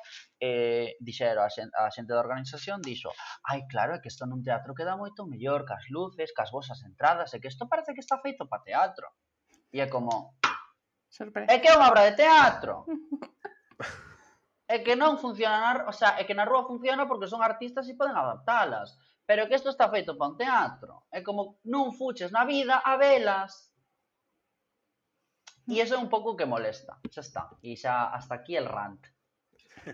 dixeron a xente da organización, dixo, ai, claro, é que isto nun teatro queda moito mellor, cas luces, cas vosas entradas, é que isto parece que está feito para teatro. E é como, é que é unha obra de teatro. É que non funciona, o sea, é que na rúa funciona porque son artistas e poden adaptalas, pero que isto está feito para un teatro. É como, non fuches na vida a velas. E iso é un pouco que molesta, xa está. E xa hasta aquí el rant.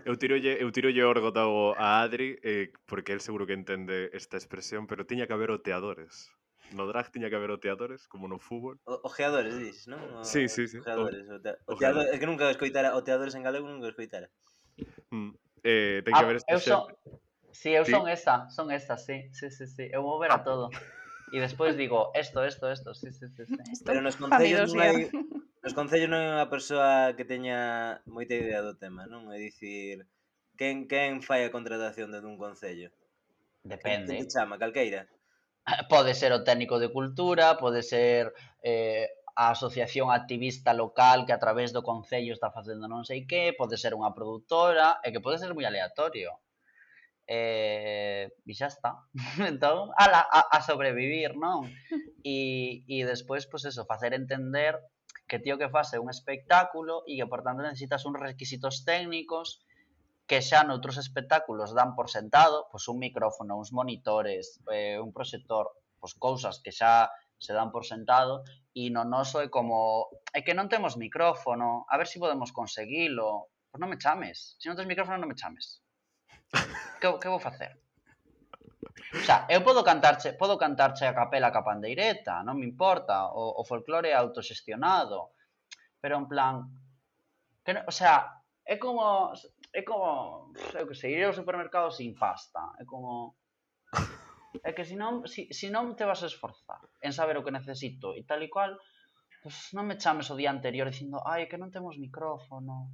Eu tirolle orgo a Adri, porque él seguro que entende esta expresión, pero tiña que haber oteadores. No drag tiña que haber oteadores, como no fútbol. Ojeadores, dices, non? Sí. Oteadores. É que nunca escoitara oteadores en galego, nunca escoitara. Ten que haber esta xente. Sí, eu son esta, sí. Eu vou ver a todo. E despois digo, esto, sí. Pero nos concellos non hai... Nos concellos non é unha persoa que teña moita idea do tema, non? É dicir, quen fai a contratación dentro dun concello? Depende. Que te chama, calqueira? Pode ser o técnico de cultura, pode ser a asociación activista local que a través do concello está facendo non sei que, pode ser unha produtora, e que pode ser moi aleatorio. E xa está. Entón, a sobrevivir, non? E despois, pois eso, facer entender que tío que fase un espectáculo e que, por tanto, necesitas uns requisitos técnicos que xa noutros espectáculos dan por sentado, pois un micrófono, uns monitores, un proxector, pois cousas que xa se dan por sentado, e no noso é como, é que non temos micrófono, a ver se podemos conseguilo. Pois non me chames, se non tens micrófono non me chames. Que vou facer? O sea, eu podo cantarche a capela ca pandeireta, non me importa, o folclore é autoxestionado, pero en plan, que o sea, é como, eu que sei, ir ao supermercado sin pasta, é como, é que se non te vas a esforzar en saber o que necesito e tal e cual, pues non me chames o día anterior dicindo, ai, que non temos micrófono.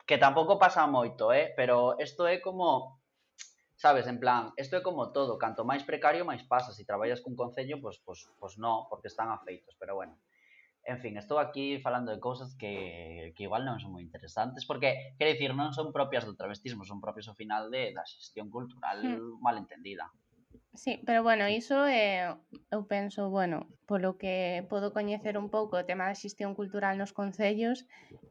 Que tampouco pasa moito, pero isto é como, sabes, en plan, isto é como todo, canto máis precario, máis pasa. Se traballas cun concello, pues non, porque están afeitos, pero bueno. En fin, estou aquí falando de cousas que igual non son moi interesantes, porque, quero dicir, non son propias do travestismo, son propias ao final da xestión cultural mal entendida. Sí, pero bueno, iso eu penso, bueno, polo que podo coñecer un pouco o tema da xestión cultural nos concellos,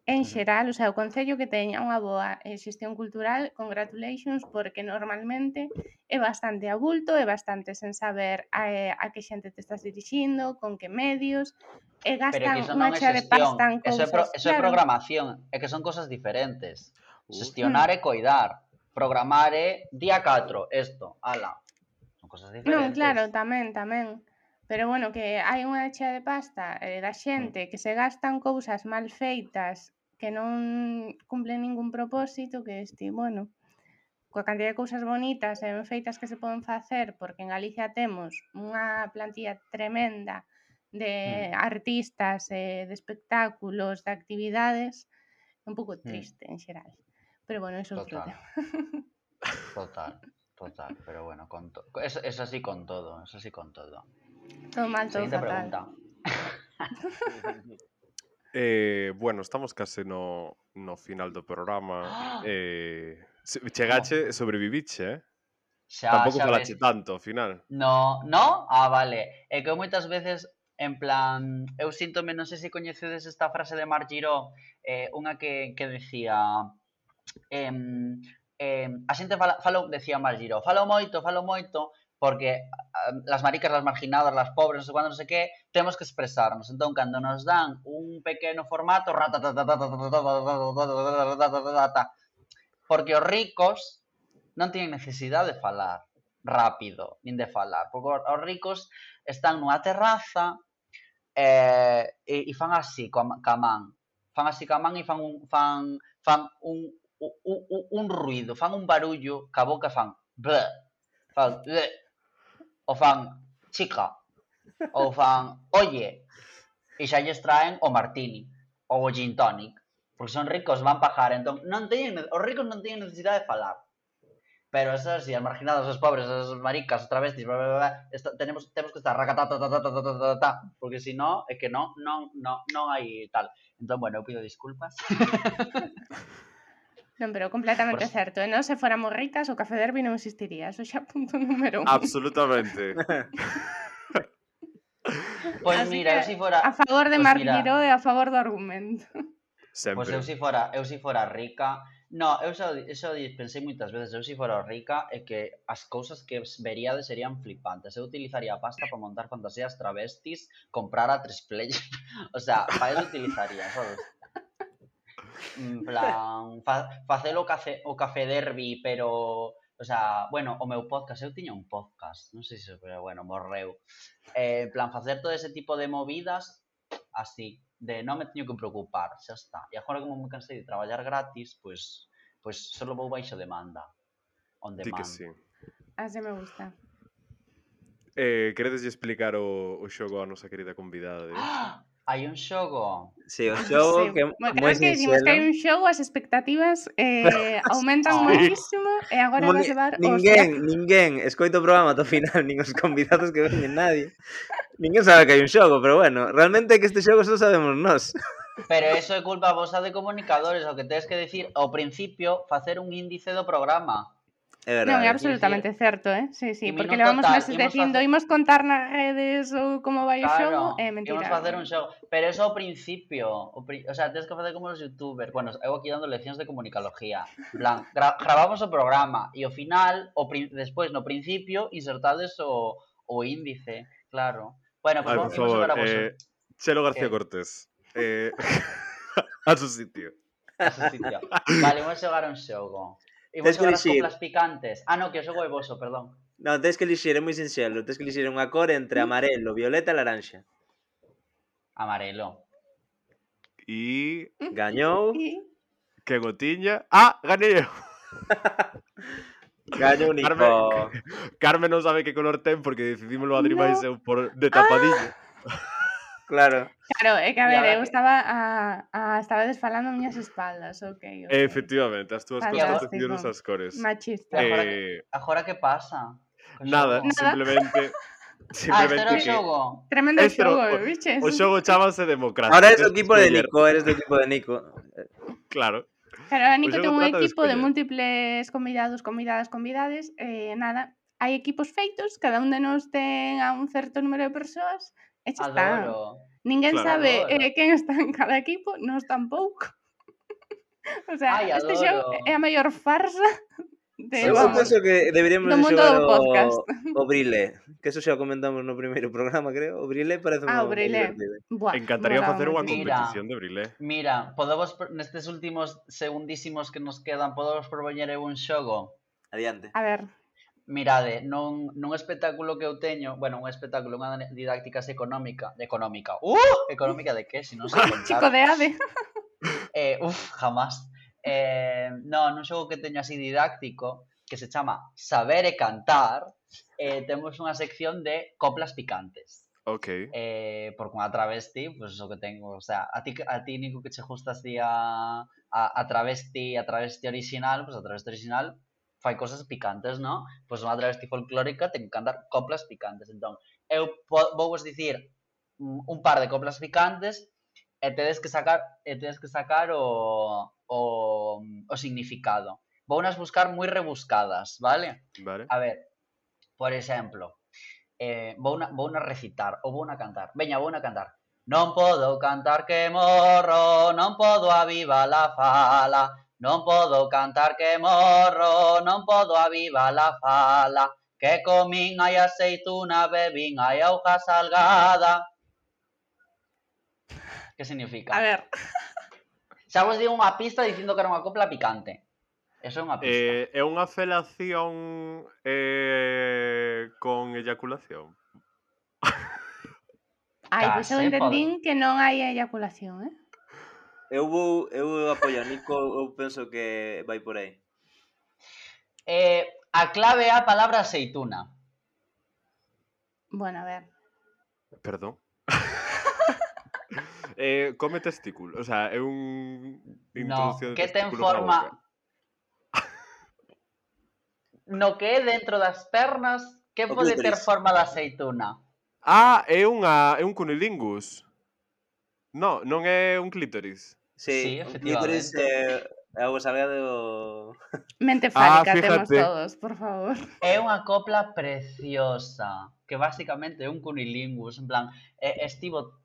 en xeral, o sea, o concello que teña unha boa xestión cultural, congratulations, porque normalmente é bastante a bulto, é bastante sen saber a que xente te estás dirixindo, con que medios, e Pero é que gastan iso unha non é chea de pasta xestión, en cousas. eso é programación, é que son cosas diferentes. Xestionar é Hmm. coidar, programar é día 4, isto, ala. Son cosas diferentes. Non, claro, tamén. Pero bueno, que hai unha chea de pasta da xente que se gastan cousas mal feitas que non cumplen ningún propósito, que bueno, coa cantidad de cousas bonitas e ben feitas que se poden facer, porque en Galicia temos unha plantilla tremenda de artistas, de espectáculos, de actividades, un pouco triste en xeral. Pero bueno, é outro tema. Total, pero bueno, es así con todo, Todo mal, todo Siguiente fatal. pregunta. Bueno, estamos case no final do programa. Chegache e sobreviviche, Tampouco falache tanto, ao final. No? Vale. É que moitas veces, en plan, eu síntome, non sei se coñecedes esta frase de Marc Giró, unha que decía, a xente decía Marc Giró, falo moito, porque las maricas, las marginadas, las pobres, non sei cuándo, non sei que, temos que expresarnos. Entón, cando nos dan un pequeno formato, porque os ricos non teñen necesidade de falar rápido, nin de falar, porque os ricos están nunha terraza e fan así ca man, e fan un ruido, fan un barullo ca boca, fan bleh, ou fan chica, ou fan oye, e xa lles traen o martini ou o gin tonic, porque son ricos, van pagar, entón os ricos non teñen necesidade de falar. Pero esas, as marginadas, os pobres, as maricas, os travestis, temos que estar porque se non, é que non hai tal. Entón, bueno, eu pido disculpas. Non, pero completamente certo. E non se fóramos ricas, o Café Derby non existiría. Eso xa punto número 1. Absolutamente. Pois mira, eu si fora... A favor de Marc Giró e a favor do argumento. Pois eu si fora rica... No, eu xa pensei moitas veces, eu si fora rica é que as cousas que veríades serían flipantes. Eu utilizaría a pasta para montar fantasías travestis, comprar a 3Play. O sea, para eso utilizaría, sabes? En plan, facer o Café Derby, pero... O sea, bueno, o meu podcast, eu tiña un podcast, non sei se, pero bueno, morreu. En plan, facer todo ese tipo de movidas así, de non me teño que preocupar, xa está. E agora como me cansei de traballar gratis, pois solo vou baixo demanda. On demand. Di que sí. Así me gusta. Queredes explicar o xogo a nosa querida convidada de hoxe? Hai un xogo. Sí, o xogo que moi que dicimos que hai un xogo, as expectativas aumentan moitísimo e agora vas levar Ninguén escoita o programa ata o final, nin os convidados que veñen, nadie. Ninguén sabe que hai un xogo, pero bueno, realmente é que este xogo só sabemos nós. Pero eso é culpa vosa de comunicadores, o que tens que decir ao principio, facer un índice do programa. É verdade. Non, é absolutamente certo, Sí, porque levamos meses dicindo imos contar nas redes ou como vai o xogo, é mentira. Imos facer un xogo, pero eso ao principio, o sea, tens que facer como os youtubers. Bueno, eu aquí dando leccións de comunicalogía. En plan, gravamos o programa e ao final, despois no principio, insertades o índice, claro. Bueno, pues por favor, Chelo García Cortés. A su sitio. Vale, vamos xogar un xogo. Imos xogar as coplas picantes. No, que o xogo é voso, perdón. Non, tens que elixir, é moi sinxelo. Tens que elixir unha cor entre amarelo, violeta e laranxa. Amarelo. E Gañou. que gotiña. Ah, ganei eu. Gañou Nico. Carmen non sabe que color ten porque decidímoslo Adri máis eu por de tapadillo. Claro. Claro, é que a E ver, agora eu que- estaba desfalando a miñas espaldas, ok. Efectivamente, as túas costas Fantástico. decidieron as cores. Machista. Agora que pasa? Co Nada, xogo? simplemente Este era o que xogo. Tremendo este era xogo, biches. o xogo chámase democracia. Ahora es tes do que equipo de escoller. Nico, eres do equipo de Nico. Claro. Claro, a Nico O ten xogo un trata de equipo de escoller. múltiples convidades, nada, hai equipos feitos, cada un de nós ten a un certo número de persoas, e xa está. Adoro. Ninguén Claro. sabe Adoro. quen está en cada equipo, nós tampouco. O sea, Ai, este xogo adoro. é a maior farsa de, Eu vamos, penso que deberíamos do de mundo xogar do podcast. o Brilé, que eso xa o comentamos no primeiro programa, creo. O Brilé parece O moi Brilé. divertido. Buah, Encantaría molaba facer unha moitísimo. competición de Brilé. Mira, nestes últimos segundísimos que nos quedan, podemos propoñer eu un xogo? Adiante. A ver, Mirade, nun espectáculo que eu teño, bueno, un espectáculo, unha didáctica económica, económica de que, se non sei chico contar. de Ade. Jamás. Non, nun xogo que teño así didáctico, que se chama Saber e Cantar, temos unha sección de coplas picantes. Ok. Porque unha travesti, pues o que tengo, o sea, a ti Nico, que che gusta así a travesti original, pues a travesti original fai cosas picantes, ¿no? Pues unha travesti folclórica ten que cantar coplas picantes. Entón, eu vou vos dicir un par de coplas picantes e tedes que sacar o significado. Vounas buscar moi rebuscadas, vale? Vale. A ver, por exemplo, vouna recitar ou vouna cantar. Veña, vouna cantar. Non podo cantar que morro, non podo avivar a fala, non podo cantar que morro, non podo avivar a fala, que comín hai aceituna, bebín hai auga salgada. Que significa? A ver. Xa vos digo unha pista dicindo que era unha copla picante. Eso é unha pista. É unha felación con eyaculación. Ai, pois eu Case, entendín que non hai eyaculación, eh? Eu apoio a Nico, eu penso que vai por aí. A clave é a palabra aceituna. Bueno, a ver. Perdón. Come testículo, o sea, é un introducción de que ten testículos na forma... boca. No que é dentro das pernas, que O pode ter clítoris. forma de aceituna? É un cunilingus. Non é un clítoris. Sí, O clítoris efectivamente. é algo salgado. Mente fálica temos fíjate. todos, por favor. É unha copla preciosa, que basicamente é un cunilingus, en plan, estivo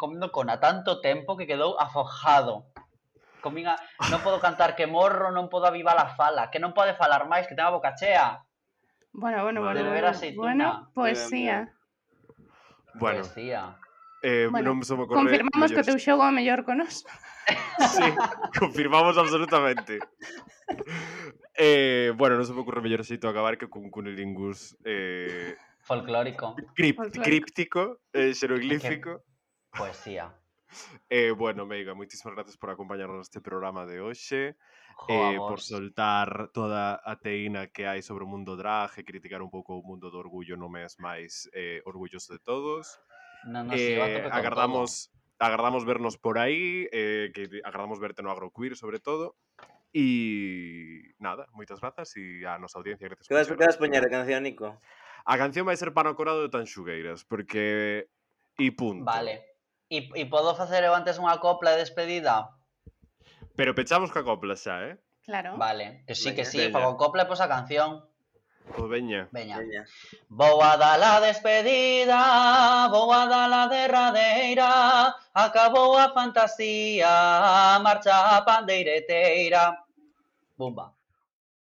comendo cona tanto tempo que quedou afojado. Non podo cantar que morro, non podo avivar a fala, que non pode falar máis, que ten a boca chea. Bueno, Vale. De beber aceituna. poesía. Bueno, Poesía. non se me ocorre confirmamos que o teu mellores- xogo é mellor con nós. Sí, confirmamos absolutamente. Bueno, non se me ocorre mellor xeito de acabar que con cunilingus Folclórico. Folclórico. críptico, xeroglífico. Poesía. Bueno, Meiga, moitísimas gracias por acompañarnos neste programa de hoxe. Jo, a Por vos. soltar toda a teína que hai sobre o mundo drag e criticar un pouco o mundo do orgullo no mes máis orgulloso de todos. Non nos iba a tope con Agardamos vernos por aí, que agardamos verte no Agroqueer sobre todo. E nada, moitas grazas e a nosa audiencia, gracias Que vas poñer a canción, Nico? A canción vai ser Pano Corado de Tanxugueiras, porque... E punto. Vale. E podo facer eu antes unha copla de despedida? Pero pechamos ca copla xa, Claro. Vale, que sí, Veña. fago copla e pois a canción. Pois veña. Veña. Veña. Vou a dar a despedida, vou a dar a derradeira, acabou a fantasía, marcha a pandeireteira. Bumba.